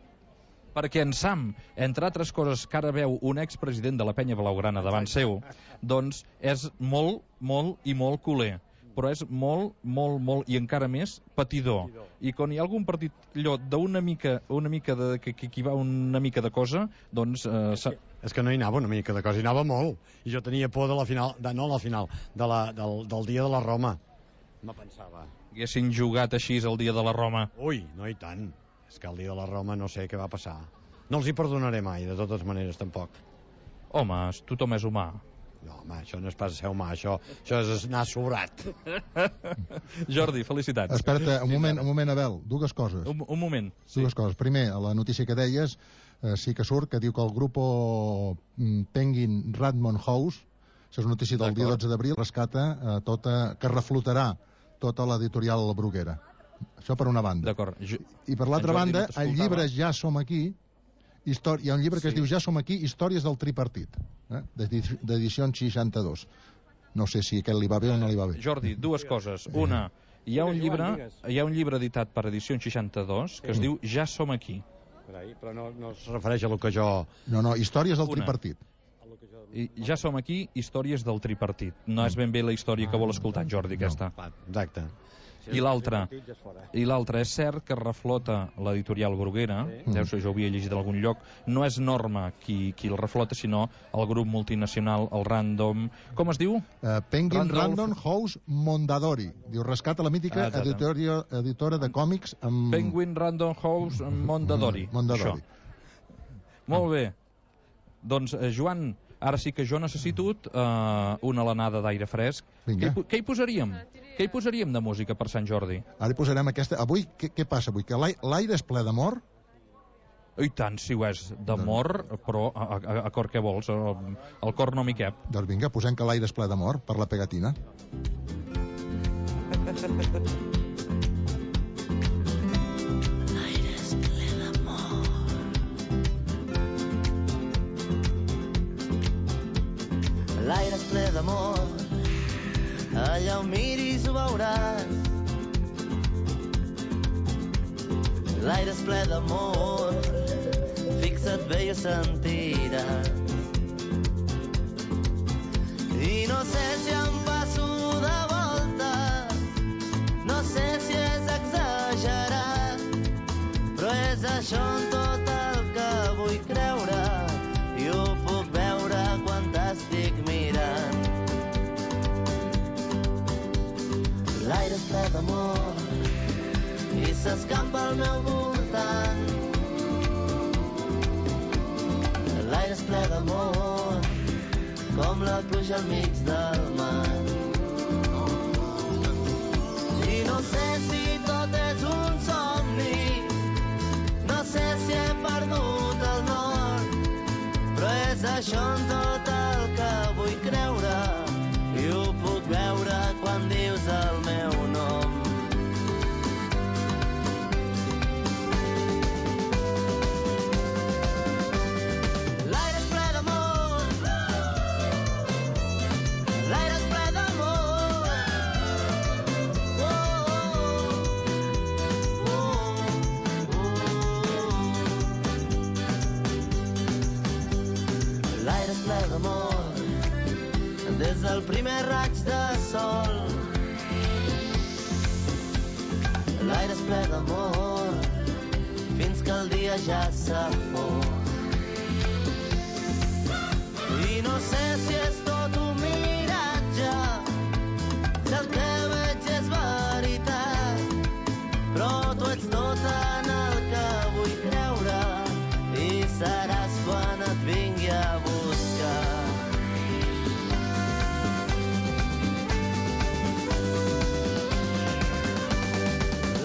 Perquè en Sam, entre altres coses que ara veu un expresident de la penya blaugrana davant seu, doncs és molt, molt i molt culer, però és molt, molt, molt i encara més patidor. I quan hi ha algun partit allò d'una mica que hi va una mica de cosa, doncs... És que no hi anava una mica de cosa, hi anava molt. I jo tenia por de la final, del dia de la Roma. Me pensava. Haguessin jugat així el dia de la Roma. Ui, no i tant. És que el dia de la Roma no sé què va passar. No els hi perdonaré mai, de totes maneres, tampoc. Home, tothom és humà. No, home, això no és pas ser humà, això és anar sobrat. Jordi, felicitats. Espera't, un moment, Abel, dues coses. Un moment. Dues coses. Primer, a la notícia que deies, sí que surt, que diu que el grup Penguin Random House, això és una notícia del dia 12 d'abril, rescata que reflotarà tota l'editorial Bruguera. Això per una banda. D'acord. I per l'altra banda, el llibre Ja som aquí, hi ha un llibre que es diu Ja som aquí, històries del tripartit, d'edició 62. No sé si aquest li va bé o no li va bé. Jordi, dues coses. Una, hi ha un llibre editat per edició 62 que es diu Ja som aquí. Però no es refereix a lo que jo... No, històries del tripartit. Ja som aquí, històries del tripartit. No és ben bé la història que vol escoltar en Jordi, aquesta. Exacte. I l'altra, és cert que reflota l'editorial Bruguera, deu ser, jo ho havia llegit en algun lloc, no és Norma qui el reflota, sinó el grup multinacional, el Random... Com es diu? Penguin Random House Mondadori. Diu, rescata la mítica editora de còmics amb... Penguin Random House Mondadori. Mondadori. Molt bé. Doncs, Joan, ara sí que jo necessito una alenada d'aire fresc. Què hi posaríem? Què hi posaríem de música per Sant Jordi? Ara hi posarem aquesta... Avui, què passa avui? Que l'aire és ple d'amor? I tant, si ho és d'amor, però a cor què vols? El cor no m'hi cap. Doncs vinga, posem que l'aire és ple d'amor per la pegatina. L'aire és ple d'amor. L'aire és ple d'amor. Allà on miris ho veuràs. L'aire és ple d'amor. Fixa't bé i ho sentiràs. I no sé si em passo de volta, no sé si és exagerat, però és això en tot el que vull creure i ho puc veure quan t'estic mirant. L'aire és ple d'amor i s'escampa al meu voltant. L'aire és ple d'amor com la pluja al mig del mar. I no sé si tot és un somni, no sé si he perdut el nord, però és això en tot el que vull creure i ho puc veure quan dius el meu nom. L'aire és ple d'amor plega amor des del primer raig de sol. L'aire es plega amor fins que el dia ja s'ha fos. I no sé si és tot un miratge, si el que veig és veritat, però tu ets tot en el que vull creure i seràs quan et vingui a buscar.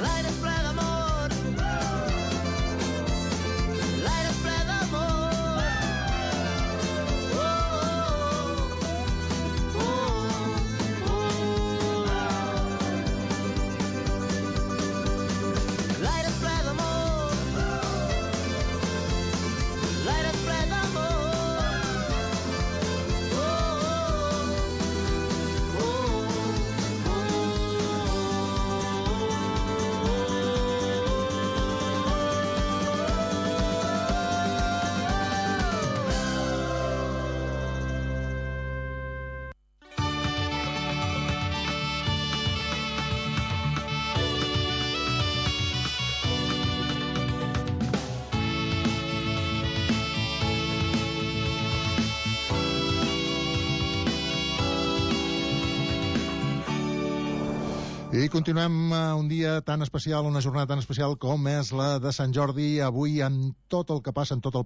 L'aire es ple d'amor, l'aire es ple d'amor. L'aire es ple d'amor, l'aire es ple d'amor. I continuem un dia tan especial, una jornada tan especial com és la de Sant Jordi, avui amb tot el que passa, amb tot el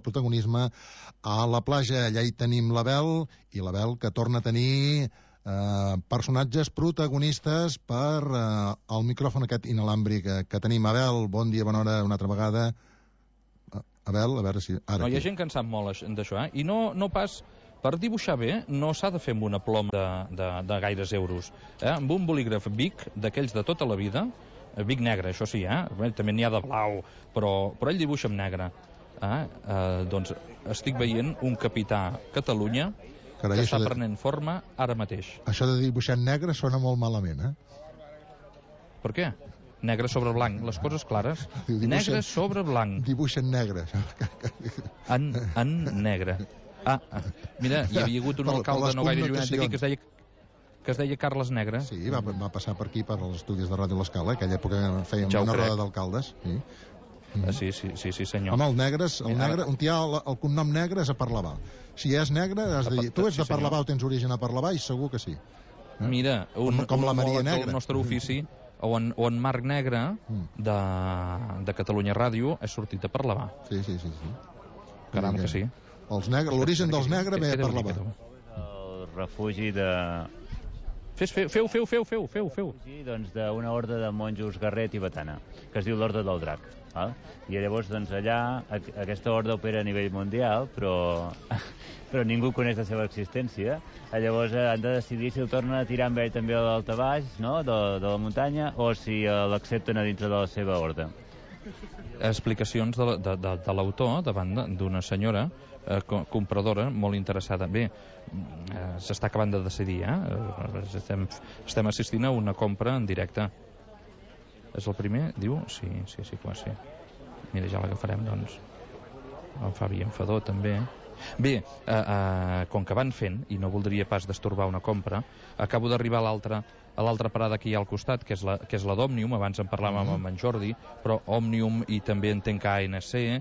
protagonisme a la platja. Allà hi tenim l'Abel, i l'Abel que torna a tenir personatges protagonistes per el micròfon aquest inalàmbric que tenim. Abel, bon dia, bona hora una altra vegada. Abel, a veure si... Ara, no, hi ha gent que en sap molt d'això, I no pas... Per dibuixar bé no s'ha de fer amb una ploma de gaires euros. Amb un bolígraf Bic, d'aquells de tota la vida, Bic negre, això sí, també n'hi ha de blau, però ell dibuixa amb negre. Doncs estic veient un capità Catalunya que està prenent forma ara mateix. Això de dibuixar en negre sona molt malament, Per què? Negre sobre blanc, les coses clares. Negre sobre blanc. Dibuixa en negre. En negre. Mira, hi havia hagut un alcalde no gaire llunyat d'aquí que es deia Carles Negre. Sí, va passar per aquí, per als estudis de Ràdio L'Escala, aquella època fèiem una roda d'alcaldes. Sí, senyor. Home, el negre, un tia, el cognom negre és a Parlavà. Si és negre, has de dir, tu ets de Parlavà o tens origen a Parlavà, i segur que sí. Mira, com la Maria Negra. El nostre ofici, o en Marc Negre, de Catalunya Ràdio, és sortit de Parlavà. Sí. Caram que sí. L'origen dels negres ve a Parlavà. El refugi de... Feu. Doncs d'una orde de monjos Garret i Batana, que es diu l'Orde del Drac. I llavors, doncs, allà, aquesta orde opera a nivell mundial, però ningú coneix la seva existència. Llavors han de decidir si el tornen a tirar amb ell també a l'altabaix, no?, de la muntanya, o si l'accepten a dintre de la seva orde. Explicacions de l'autor davant d'una senyora compradora molt interessada. Bé, s'està acabant de decidir, estem assistint a una compra en directe. És el primer? Diu? Sí, clar, sí. Mira, ja l'agafarem, doncs. En Fabi en Fadó, també. Bé, com que van fent, i no voldria pas destorbar una compra, acabo d'arribar a l'altra parada que hi ha al costat, que és la d'Òmnium. Abans en parlàvem amb en Jordi, però Òmnium, i també entenc que ANC,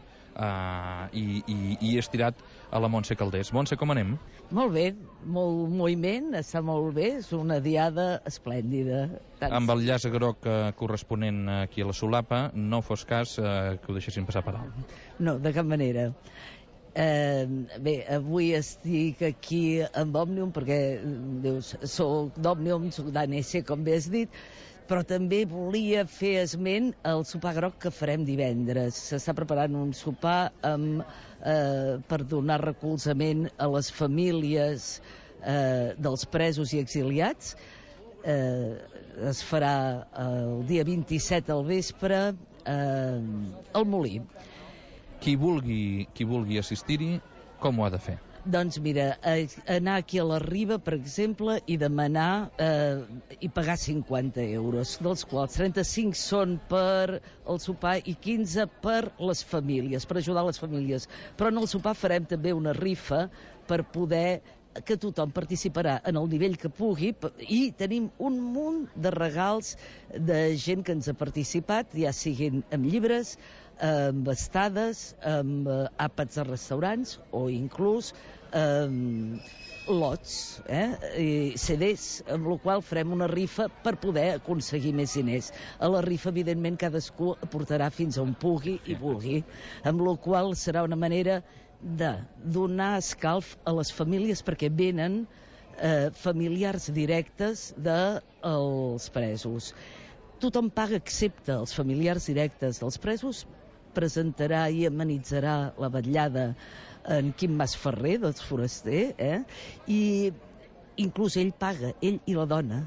i he estirat a la Montse Calders. Montse, com anem? Molt bé, molt moviment, està molt bé, és una diada esplèndida. Amb el llaç groc corresponent aquí a la solapa, no fos cas que ho deixessin passar per alt. No, de cap manera. Bé, avui estic aquí amb Òmnium perquè dius, soc d'Òmnium, soc d'ANC, com bé has dit, però també volia fer esment al sopar groc que farem divendres. S'està preparant un sopar per donar recolzament a les famílies dels presos i exiliats. Es farà el dia 27 al vespre al Molí. Qui vulgui assistir-hi, com ho ha de fer? Doncs mira, anar aquí a la Riba, per exemple, i demanar i pagar 50 euros, dels quals 35 són per el sopar i 15 per les famílies, per ajudar les famílies. Però en el sopar farem també una rifa per poder que tothom participarà en el nivell que pugui i tenim un munt de regals de gent que ens ha participat, ja siguin amb llibres, amb estades, amb àpats a restaurants o inclús lots, i CDs, amb la qual farem una rifa per poder aconseguir més diners. A la rifa, evidentment, cadascú aportarà fins on pugui i vulgui, amb la qual serà una manera de donar escalf a les famílies perquè venen familiars directes dels presos. Tothom paga excepte els familiars directes dels presos, presentarà i amenitzarà la vetllada en Quim Masferrer, dels Foraster, i inclús ell paga, ell i la dona,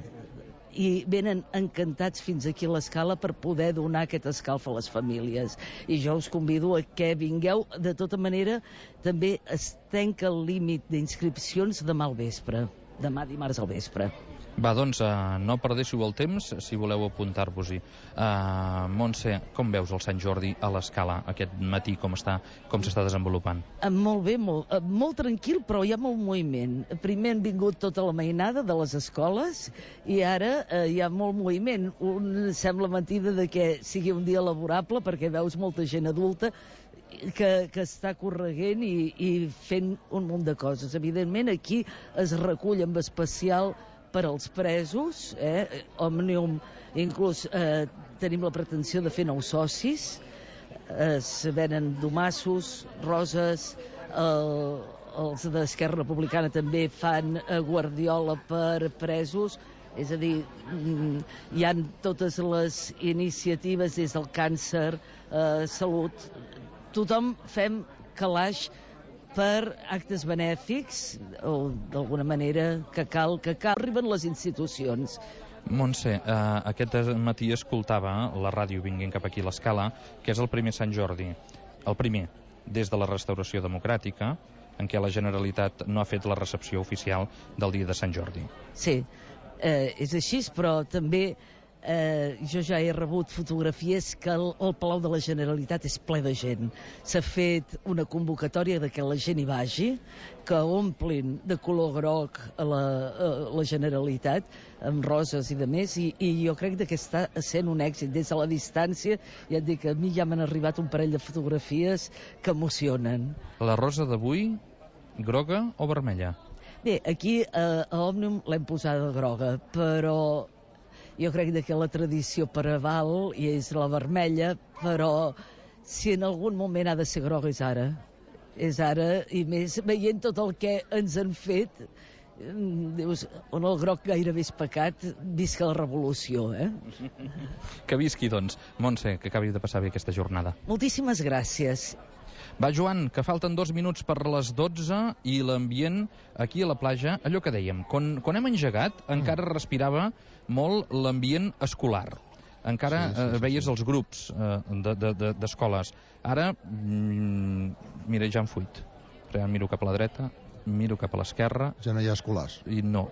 i venen encantats fins aquí a l'Escala per poder donar aquest escalf a les famílies. I jo us convido a que vingueu. De tota manera, també es tanca el límit d'inscripcions demà al vespre, demà dimarts al vespre. Va, doncs, no perdéssiu el temps si voleu apuntar-vos-hi. Montse, com veus el Sant Jordi a l'Escala aquest matí, com s'està desenvolupant? Molt bé, molt tranquil, però hi ha molt moviment. Primer han vingut tota la mainada de les escoles i ara hi ha molt moviment. Sembla mentida de que sigui un dia laborable perquè veus molta gent adulta que està correguent i fent un munt de coses. Evidentment, aquí es recull amb especial per als presos, Òmnium, inclús tenim la pretensió de fer nous socis, es venen domassos, roses, els d'Esquerra Republicana també fan guardiola per presos, és a dir, hi ha totes les iniciatives des del càncer, salut, tothom fem calaix per actes benèfics, o d'alguna manera que cal arriben les institucions. Montse, aquest matí escoltava la ràdio vinguent cap aquí a l'Escala, que és el primer Sant Jordi, el primer des de la restauració democràtica, en què la Generalitat no ha fet la recepció oficial del dia de Sant Jordi. Sí, és així, però també jo ja he rebut fotografies que el Palau de la Generalitat és ple de gent. S'ha fet una convocatòria de que la gent hi vagi, que omplin de color groc a la Generalitat, amb roses i de més, i jo crec que està sent un èxit. Des de la distància, ja et dic, a mi ja m'han arribat un parell de fotografies que emocionen. La rosa d'avui, groga o vermella? Bé, aquí a Òmnium l'hem posada groga, però jo crec que la tradició preval i és la vermella, però si en algun moment ha de ser groga és ara. És ara, i més veient tot el que ens han fet, dius, on el groc gairebé és pecat, visca la revolució, Que visqui, doncs. Montse, que acabi de passar bé aquesta jornada. Moltíssimes gràcies. Va, Joan, que falten 2 minuts per les 12 i l'ambient aquí a la platja, allò que dèiem, quan hem engegat encara respirava molt l'ambient escolar. Encara veies els grups d'escoles. Ara, mira, ja em fuit. Miro cap a la dreta, miro cap a l'esquerra. Ja no hi ha escolars. I no,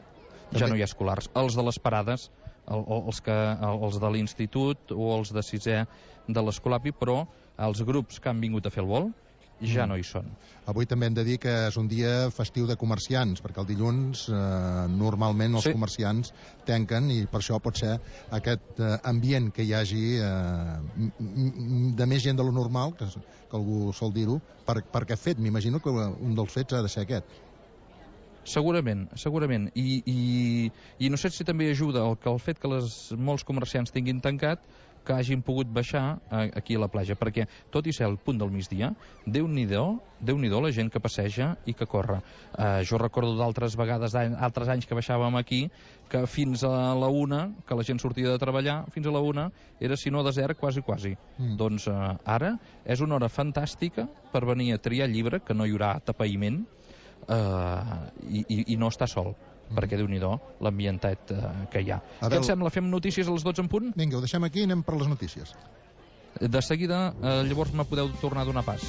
ja no hi ha escolars. Els de les parades, els de l'institut o els de 6è de l'Escolapi, però els grups que han vingut a fer el vol ja no hi són. Avui també hem de dir que és un dia festiu de comerciants, perquè el dilluns normalment els comerciants tanquen i per això pot ser aquest ambient que hi hagi de més gent de lo normal, que algú sol dir-ho, per aquest fet. M'imagino que un dels fets ha de ser aquest. Segurament. I no sé si també ajuda el fet que molts comerciants tinguin tancat, que hagin pogut baixar aquí a la platja, perquè tot i ser el punt del migdia, Déu-n'hi-do la gent que passeja i que corre. Jo recordo d'altres vegades, altres anys que baixàvem aquí, que fins a la 1, que la gent sortia de treballar, fins a la 1 era, si no desert, quasi. Doncs ara és una hora fantàstica per venir a triar llibre, que no hi haurà tapaïment, i no està sol, perquè Déu-n'hi-do l'ambientat que hi ha. Què et sembla? Fem notícies a les 12 en punt? Vinga, ho deixem aquí i anem per les notícies. De seguida, llavors me podeu tornar a donar pas.